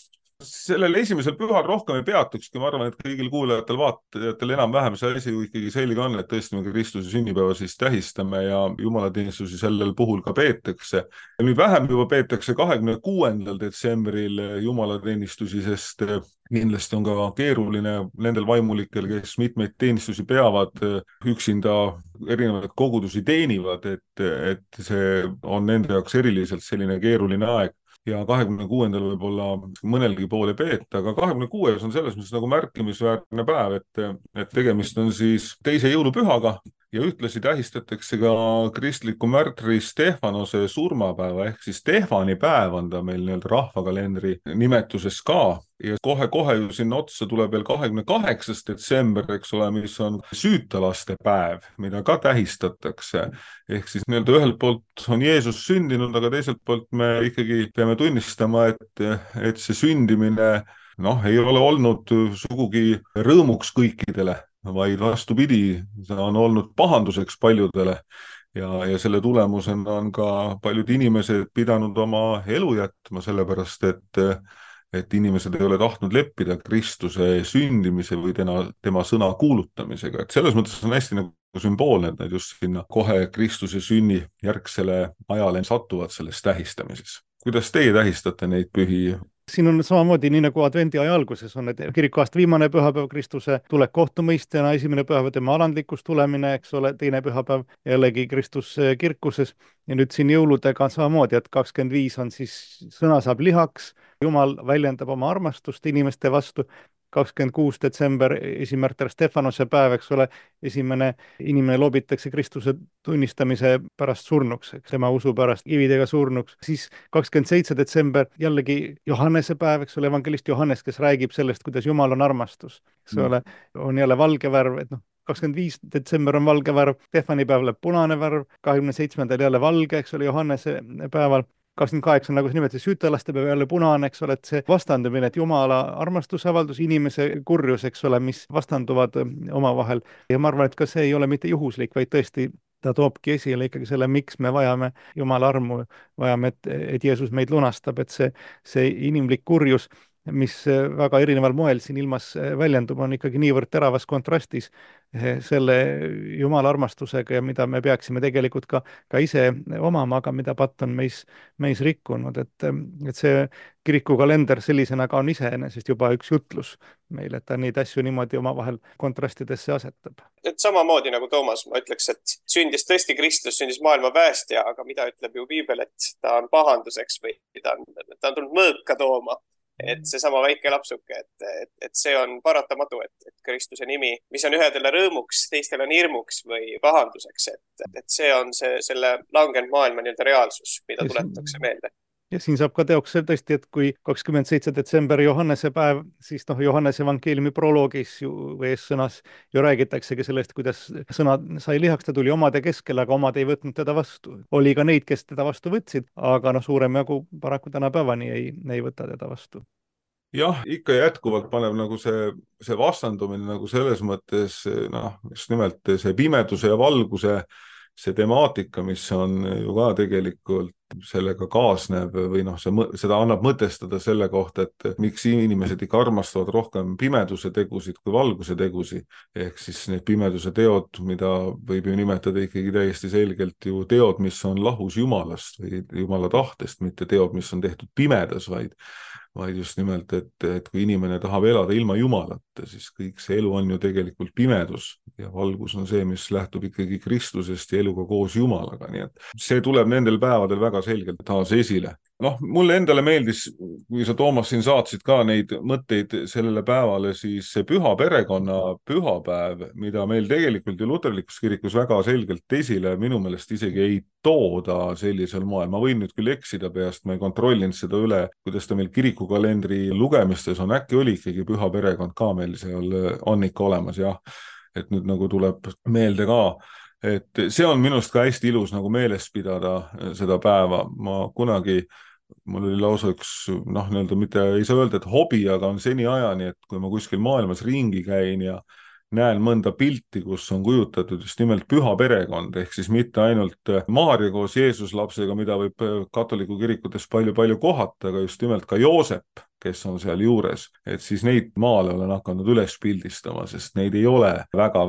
Sellel esimesel pühal rohkem ei peatukski, ma arvan, et kõigil kuulajatel, vaatajatel enam-vähem see asi ikkagi selge on, et tõesti me Kristuse sünnipäeva siis tähistame ja jumalateenistusi sellel puhul ka peetakse. Ja nüüd vähem juba peetakse 26. detsembril jumalateenistusi, sest kindlasti on ka keeruline nendel vaimulikel, kes mitmeid teenistusi peavad, üksinda erinevaid kogudusi teenivad, et see on nende jaoks eriliselt selline keeruline aeg. Ja 26. võib-olla mõnelgi poole peeta, aga 26. on selles mõttes nagu märkimisväärne päev, et tegemist on siis teise jõulupühaga ja ühtlasi tähistatakse ka kristliku märtri Stefanose surmapäeva ehk siis Stefani päev on ta meil nii-öelda rahvakalendri nimetuses ka ja kohe ju sinna otsa tuleb veel 28. detsember, eks ole, mis on süütalaste päev, mida ka tähistatakse. Ehk siis nii-öelda ühelt poolt on Jeesus sündinud, aga teiselt poolt me ikkagi peame tunnistama, et see sündimine ei ole olnud sugugi rõõmuks kõikidele, vaid vastupidi, see on olnud pahanduseks paljudele ja selle tulemusena on ka paljud inimesed pidanud oma elu jätma, sellepärast et inimesed ei ole tahtnud leppida Kristuse sündimise või tema sõna kuulutamisega. Et selles mõttes on hästi nagu sümboolne, et nad just sinna kohe Kristuse sünni järgsele ajale satuvad selles tähistamises. Kuidas teie tähistate neid pühi? Siin on samamoodi, nii nagu advendi aja alguses on, et kirikuaasta viimane pühapäev Kristuse tulek kohtumõistjana, esimene pühapäev tema alandlikus tulemine, eks ole, teine pühapäev jällegi Kristus kirkuses ja nüüd siin jõuludega on samamoodi, et 25 on siis sõna saab lihaks, Jumal väljendab oma armastust inimeste vastu, 26. detsember, esimärter Stefanose päev, eks ole, esimene inimene loobitakse Kristuse tunnistamise pärast surnuks, tema usu pärast kividega surnuks. Siis 27. detsember jällegi Johannese päev, eks ole, evangelist Johannes, kes räägib sellest, kuidas Jumal on armastus, eks ole, on jälle valge värv, et 25. detsember on valge värv, Stefani päev läheb punane värv, 27. jälle valge, eks ole, Johannese päeval. 28, nagu sa nimetasid, süütalaste päev jälle punane, eks ole, et see vastandumine, et Jumala armastusavaldus, inimese kurjus, eks ole, mis vastanduvad omavahel. Ja ma arvan, et ka see ei ole mitte juhuslik, vaid tõesti ta toobki esile ikkagi selle, miks me vajame Jumala armu, vajame, et Jeesus meid lunastab, et see inimlik kurjus mis väga erineval moel siin ilmas väljendub, on ikkagi niivõrd teravas kontrastis selle Jumala armastusega ja mida me peaksime tegelikult ka ise omama, aga mida patt on meis rikkunud, et see kirikukalender sellisena ka on iseenesest juba üks jutlus meil, et ta neid asju niimoodi omavahel kontrastidesse asetab. Et samamoodi nagu Toomas, ma ütleks, et sündis tõesti Kristus, sündis maailma päästja, aga mida ütleb ju Piibel, et ta on pahanduseks või ta on tulnud mõõka tooma. Et seesama väike lapsuke, et see on paratamatu, et Kristuse nimi, mis on ühedele rõõmuks, teistele on hirmuks või pahanduseks, et see on selle langenud maailma nii-öelda reaalsus, mida tuletatakse meelde. Ja siin saab ka teoks tõesti, et kui 27. detsember Johannese päev, siis Johannese evangeeliumi proloogis või eessõnas ju räägitaksegi sellest, kuidas sõna sai lihaks, ta tuli omade keskel, aga omad ei võtnud teda vastu. Oli ka neid, kes teda vastu võtsid, aga suurem jagu paraku tänapäevani ei võta teda vastu. Jah, ikka jätkuvalt paneb nagu see vastandumine nagu selles mõttes, just nimelt see pimeduse ja valguse, see temaatika, mis on ju ka tegelikult sellega kaasneb või seda annab mõtestada selle kohta, et miks inimesed ikka armastavad rohkem pimeduse tegusid kui valguse tegusid. Ehk siis need pimeduse teod, mida võib ju nimetada ikkagi täiesti selgelt ju teod, mis on lahus Jumalast või Jumala tahtest, mitte teod, mis on tehtud pimedas, vaid just nimelt, et kui inimene tahab elada ilma Jumalata, siis kõik see elu on ju tegelikult pimedus ja valgus on see, mis lähtub ikkagi Kristusest ja eluga koos Jumalaga. Nii et see tuleb nendel päevadel väga selgelt taas esile. Mulle endale meeldis, kui sa, Toomas, siin saatsid ka neid mõtteid sellele päevale, siis see püha perekonna pühapäev, mida meil tegelikult ju luterlikus kirikus väga selgelt esile minu meelest isegi ei tooda sellisel moel. Ma võin nüüd küll eksida peast, ma ei kontrollinud seda üle, kuidas ta meil kirikukalendri lugemistes on, äkki oli ikkagi püha perekond ka meil seal on ikka olemas, jah. Et nüüd nagu tuleb meelde ka, et see on minust ka hästi ilus nagu meeles pidada seda päeva. Mul oli lausa üks, mitte ei saa öelda, et hobi, aga on seni ajani, et kui ma kuskil maailmas ringi käin ja näen mõnda pilti, kus on kujutatud just nimelt püha perekond, ehk siis mitte ainult Maarja koos Jeesus lapsega, mida võib katoliku kirikutes palju kohata, aga just nimelt ka Joosep, kes on seal juures, et siis neid maale olen hakanud üles pildistama, sest neid ei ole väga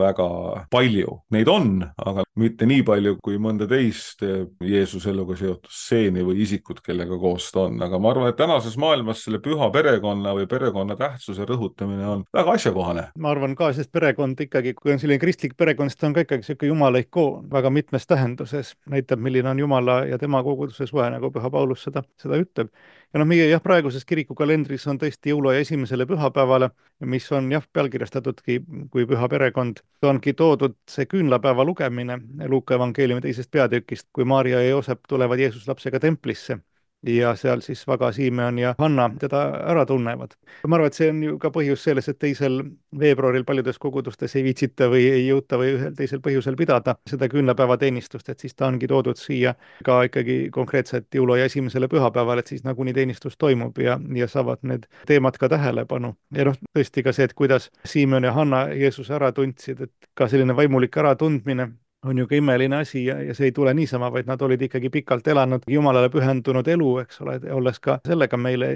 palju. Neid on, aga mitte nii palju kui mõnda teist Jeesuse eluga seotud stseeni või isikut, kellega koos ta on. Aga ma arvan, et tänases maailmas selle püha perekonna või perekonna tähtsuse rõhutamine on väga asjakohane. Ma arvan ka, sest perekond ikkagi, kui on selline kristlik perekond, siis ta on ka ikkagi selline Jumala ikoon väga mitmes tähenduses. Näitab, milline on Jumala ja tema koguduse suhe, nagu Püha Paulus seda ütleb. Ja meie praeguses kirikukalendris on tõesti jõuluaja esimesele pühapäevale, mis on pealkirjastatudki kui püha perekond. Ongi toodud see küünlapäeva lugemine Luuka evangeeliumi 2. peatükist, kui Maarja ja Joosep tulevad Jeesus lapsega templisse ja seal siis Vaga, Simeon ja Hanna teda ära tunnevad. Ma arvan, et see on ju ka põhjus selles, et 2. veebruaril paljudes kogudustes ei viitsita või ei jõuta või ühel teisel põhjusel pidada seda küünlapäeva teenistust, et siis ta ongi toodud siia ka ikkagi konkreetselt jõuluaja esimesele pühapäeval, et siis nagunii teenistus toimub ja saavad need teemad ka tähelepanu. Ja tõesti ka see, et kuidas Simeon ja Hanna Jeesuse ära tundsid, et ka selline vaimulik äratundmine on ju ka imeline asi ja see ei tule niisama, vaid nad olid ikkagi pikalt elanud Jumalale pühendunud elu, eks ole, olles ka sellega meile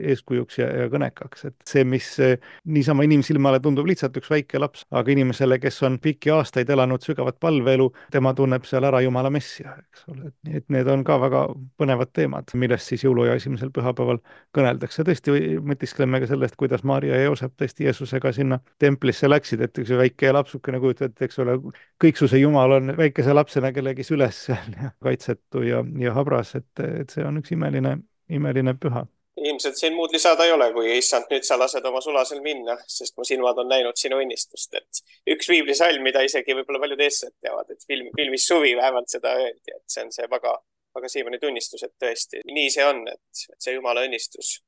eeskujuks ja kõnekaks. Et see, mis niisama inimsilmale tundub lihtsalt üks väike laps, aga inimesele, kes on pikki aastaid elanud sügavat palveelu, tema tunneb seal ära Jumala messia, eks ole. Et need on ka väga põnevad teemad, millest siis jõuluaja esimesel pühapäeval kõneldakse. Tõesti mõtiskleme ka sellest, kuidas Maarja ja Joosep tõesti Jeesusega sinna templisse läksid, et üks väike lapsukene kujutad, eks ole, kõiksuse Jumal on väikese lapsena kellegi süles seal ja kaitsetu ja habras, et see on üks imeline püha. Ilmselt siin muud lisada ei ole, kui issand, nüüd sa lased oma sulasel minna, sest mu silmad on näinud sinu õnnistust. Et üks viiblisalm, mida isegi võib-olla paljud eestlased teavad, et filmis Suvi vähemalt seda öeldi, et see on see väga Siimoni tunnistus, et tõesti nii see on, et see Jumala õnnistus,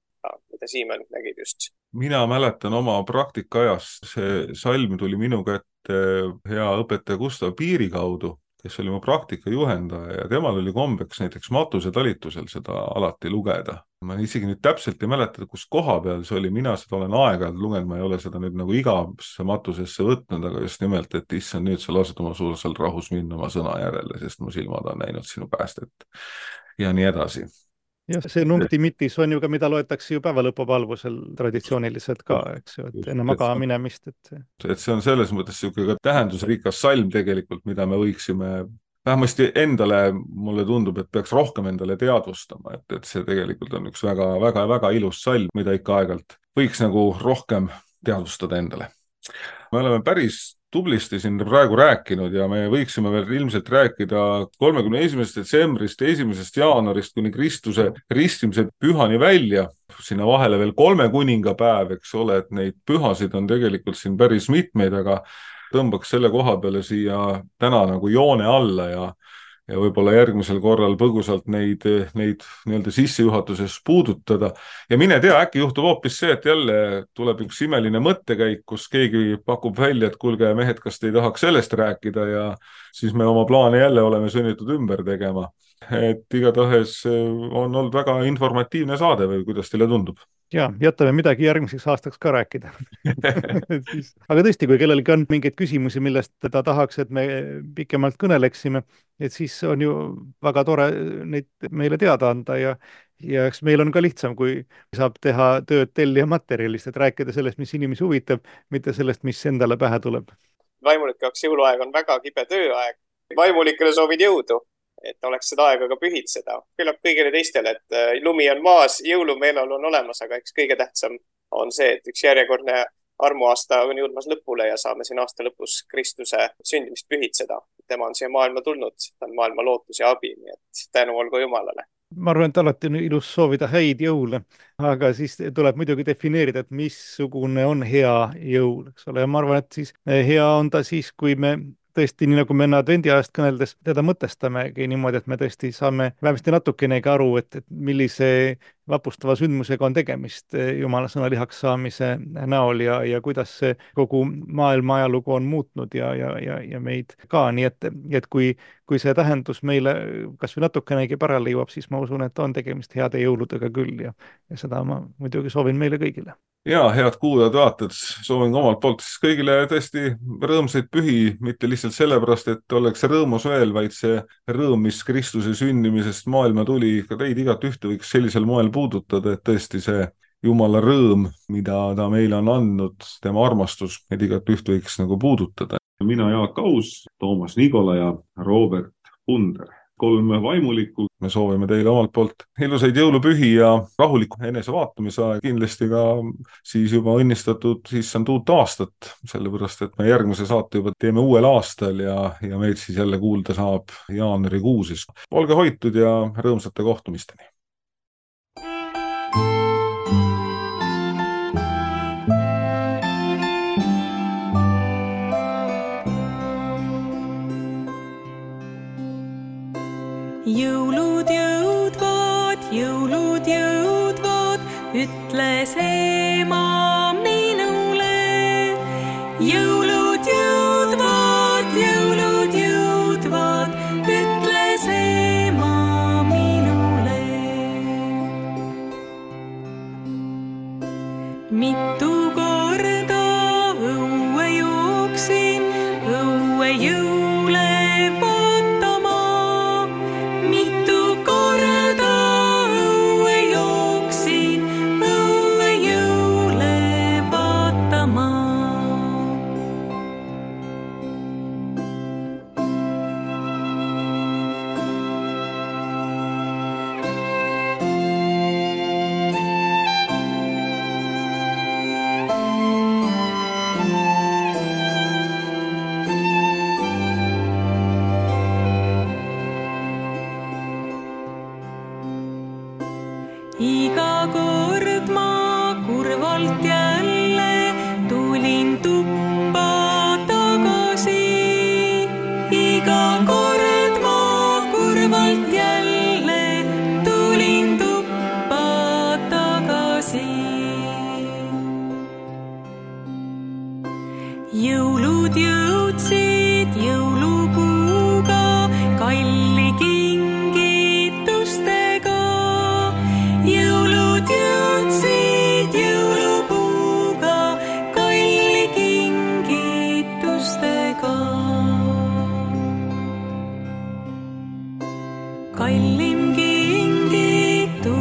mida Siimon nägid just. Mina mäletan oma praktikaajast, see salm tuli minu kätte hea õpetaja Gustav Piiri kaudu, kes oli mu praktikajuhendaja ja temal oli kombeks näiteks matusetalitusel seda alati lugeda. Ma isegi nüüd täpselt ei mäleta, kus koha peal see oli, mina seda olen aeg-ajalt lugenud, ma ei ole seda nüüd nagu igasse matusesse võtnud, aga just nimelt, et issand, nüüd sa lased oma suusal rahus minna oma sõna järele, sest mu silmad on näinud sinu päästet ja nii edasi. jah, see nuncti mitis on ju ka, mida loetakse ju päevalõpupalvusel traditsiooniliselt ka, eks ju, et enne magama minemist, et see on selles mõttes niisugune ka tähendusrikas salm tegelikult, mida me võiksime vähemasti endale, mulle tundub, et peaks rohkem endale teadvustama, et see tegelikult on üks väga ilus salm, mida ikka aeg-ajalt võiks nagu rohkem teadvustada endale. Me oleme päris tublisti siin praegu rääkinud ja me võiksime veel ilmselt rääkida 31. detsembrist, 1. jaanuarist kuni Kristuse ristimise pühani välja, sinna vahele veel 3 kuningapäev, eks ole, et neid pühasid on tegelikult siin päris mitmeid, aga tõmbaks selle koha peale siia täna nagu joone alla ja võib-olla järgmisel korral põgusalt neid nii-öelda sissejuhatuses puudutada. Ja mine tea, äkki juhtub hoopis see, et jälle tuleb üks imeline mõttekäik, kus keegi pakub välja, et kuulge mehed, kas te ei tahaks sellest rääkida ja siis me oma plaane jälle oleme sunnitud ümber tegema. Et igatahes on olnud väga informatiivne saade või kuidas teile tundub? Ja, jätame midagi järgmiseks aastaks ka rääkida. Aga tõesti, kui kellelgi on mingeid küsimusi, millest ta tahaks, et me pikemalt kõneleksime, et siis on ju väga tore neid meile teada anda ja eks meil on ka lihtsam, kui saab teha tööd tellija materjalist, et rääkida sellest, mis inimesi huvitab, mitte sellest, mis endale pähe tuleb. Vaimulike jaoks jõuluaeg on väga kibe tööaeg. Vaimulikele soovin jõudu, et oleks seda aega ka pühitseda. Küllap kõigile teistele, et lumi on maas, jõulumeelol on olemas, aga eks kõige tähtsam on see, et üks järjekordne armuaasta on jõudmas lõpule ja saame siin aasta lõpus Kristuse sündimist pühitseda. Tema on siia maailma tulnud, ta on maailma lootus ja abi, nii et tänu olgu Jumalale. Ma arvan, et alati on ilus soovida häid jõule, aga siis tuleb muidugi defineerida, et missugune on hea jõul, eks ole, ja ma arvan, et siis hea on ta siis, kui me tõesti, nii nagu me enne advendiajast kõneldes, teda mõtestamegi niimoodi, et me tõesti saame vähemasti natukenegi aru, et millise vapustava sündmusega on tegemist Jumala sõna lihaks saamise näol ja kuidas see kogu maailma ajalugu on muutnud ja meid ka, nii et kui see tähendus meile kas või natukenegi pärale jõuab, siis ma usun, et on tegemist heade jõuludega küll ja seda ma muidugi soovin meile kõigile. Ja, head kuulajad, vaatajad, soovin omalt poolt siis kõigile tõesti rõõmsaid pühi, mitte lihtsalt sellepärast, et oleks rõõmus veel, vaid see rõõm, mis Kristuse sündimisest maailma tuli, ka teid igat ühte võiks sellisel moel puudutada, et tõesti see Jumala rõõm, mida ta meile on andnud, tema armastus, meid igat ühte võiks nagu puudutada. Mina Jaak Aus, Toomas Nigola ja Robert Punder. 3 vaimulikku. Me soovime teile omalt poolt ilusaid jõulupühi ja rahulikku enesevaatamise aeg. Kindlasti ka siis juba õnnistatud issand uut aastat, sellepärast et me järgmise saate juba teeme uuel aastal ja meid siis jälle kuulda saab jaanuarikuusis. Olge hoitud ja rõõmsate kohtumisteni. Jõulud jõudvad, ütles ema minule. Jõulud jõudvad, ütles ema minule. Mitu korda õue jooksin, õue jõule vaatama. Mitu korda õue jooksin, õue jõule vaatama. Iga kord ma kurvalt jälle tulin tuppa tagasi. Iga kord ma kurvalt jälle tulin tuppa tagasi. Jõulud jõudsid jõulupuuga, kalli kingitustega. Jõulud jõudsid jõulupuuga, kalli kingitustega. Kallim kingitus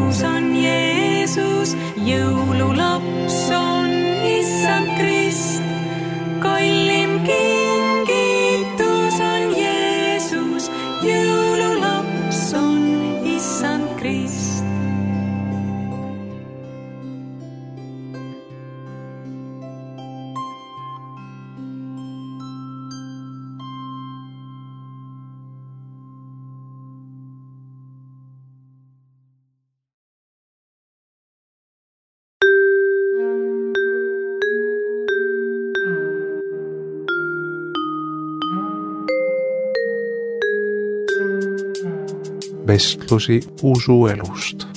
vestlusi usuelust.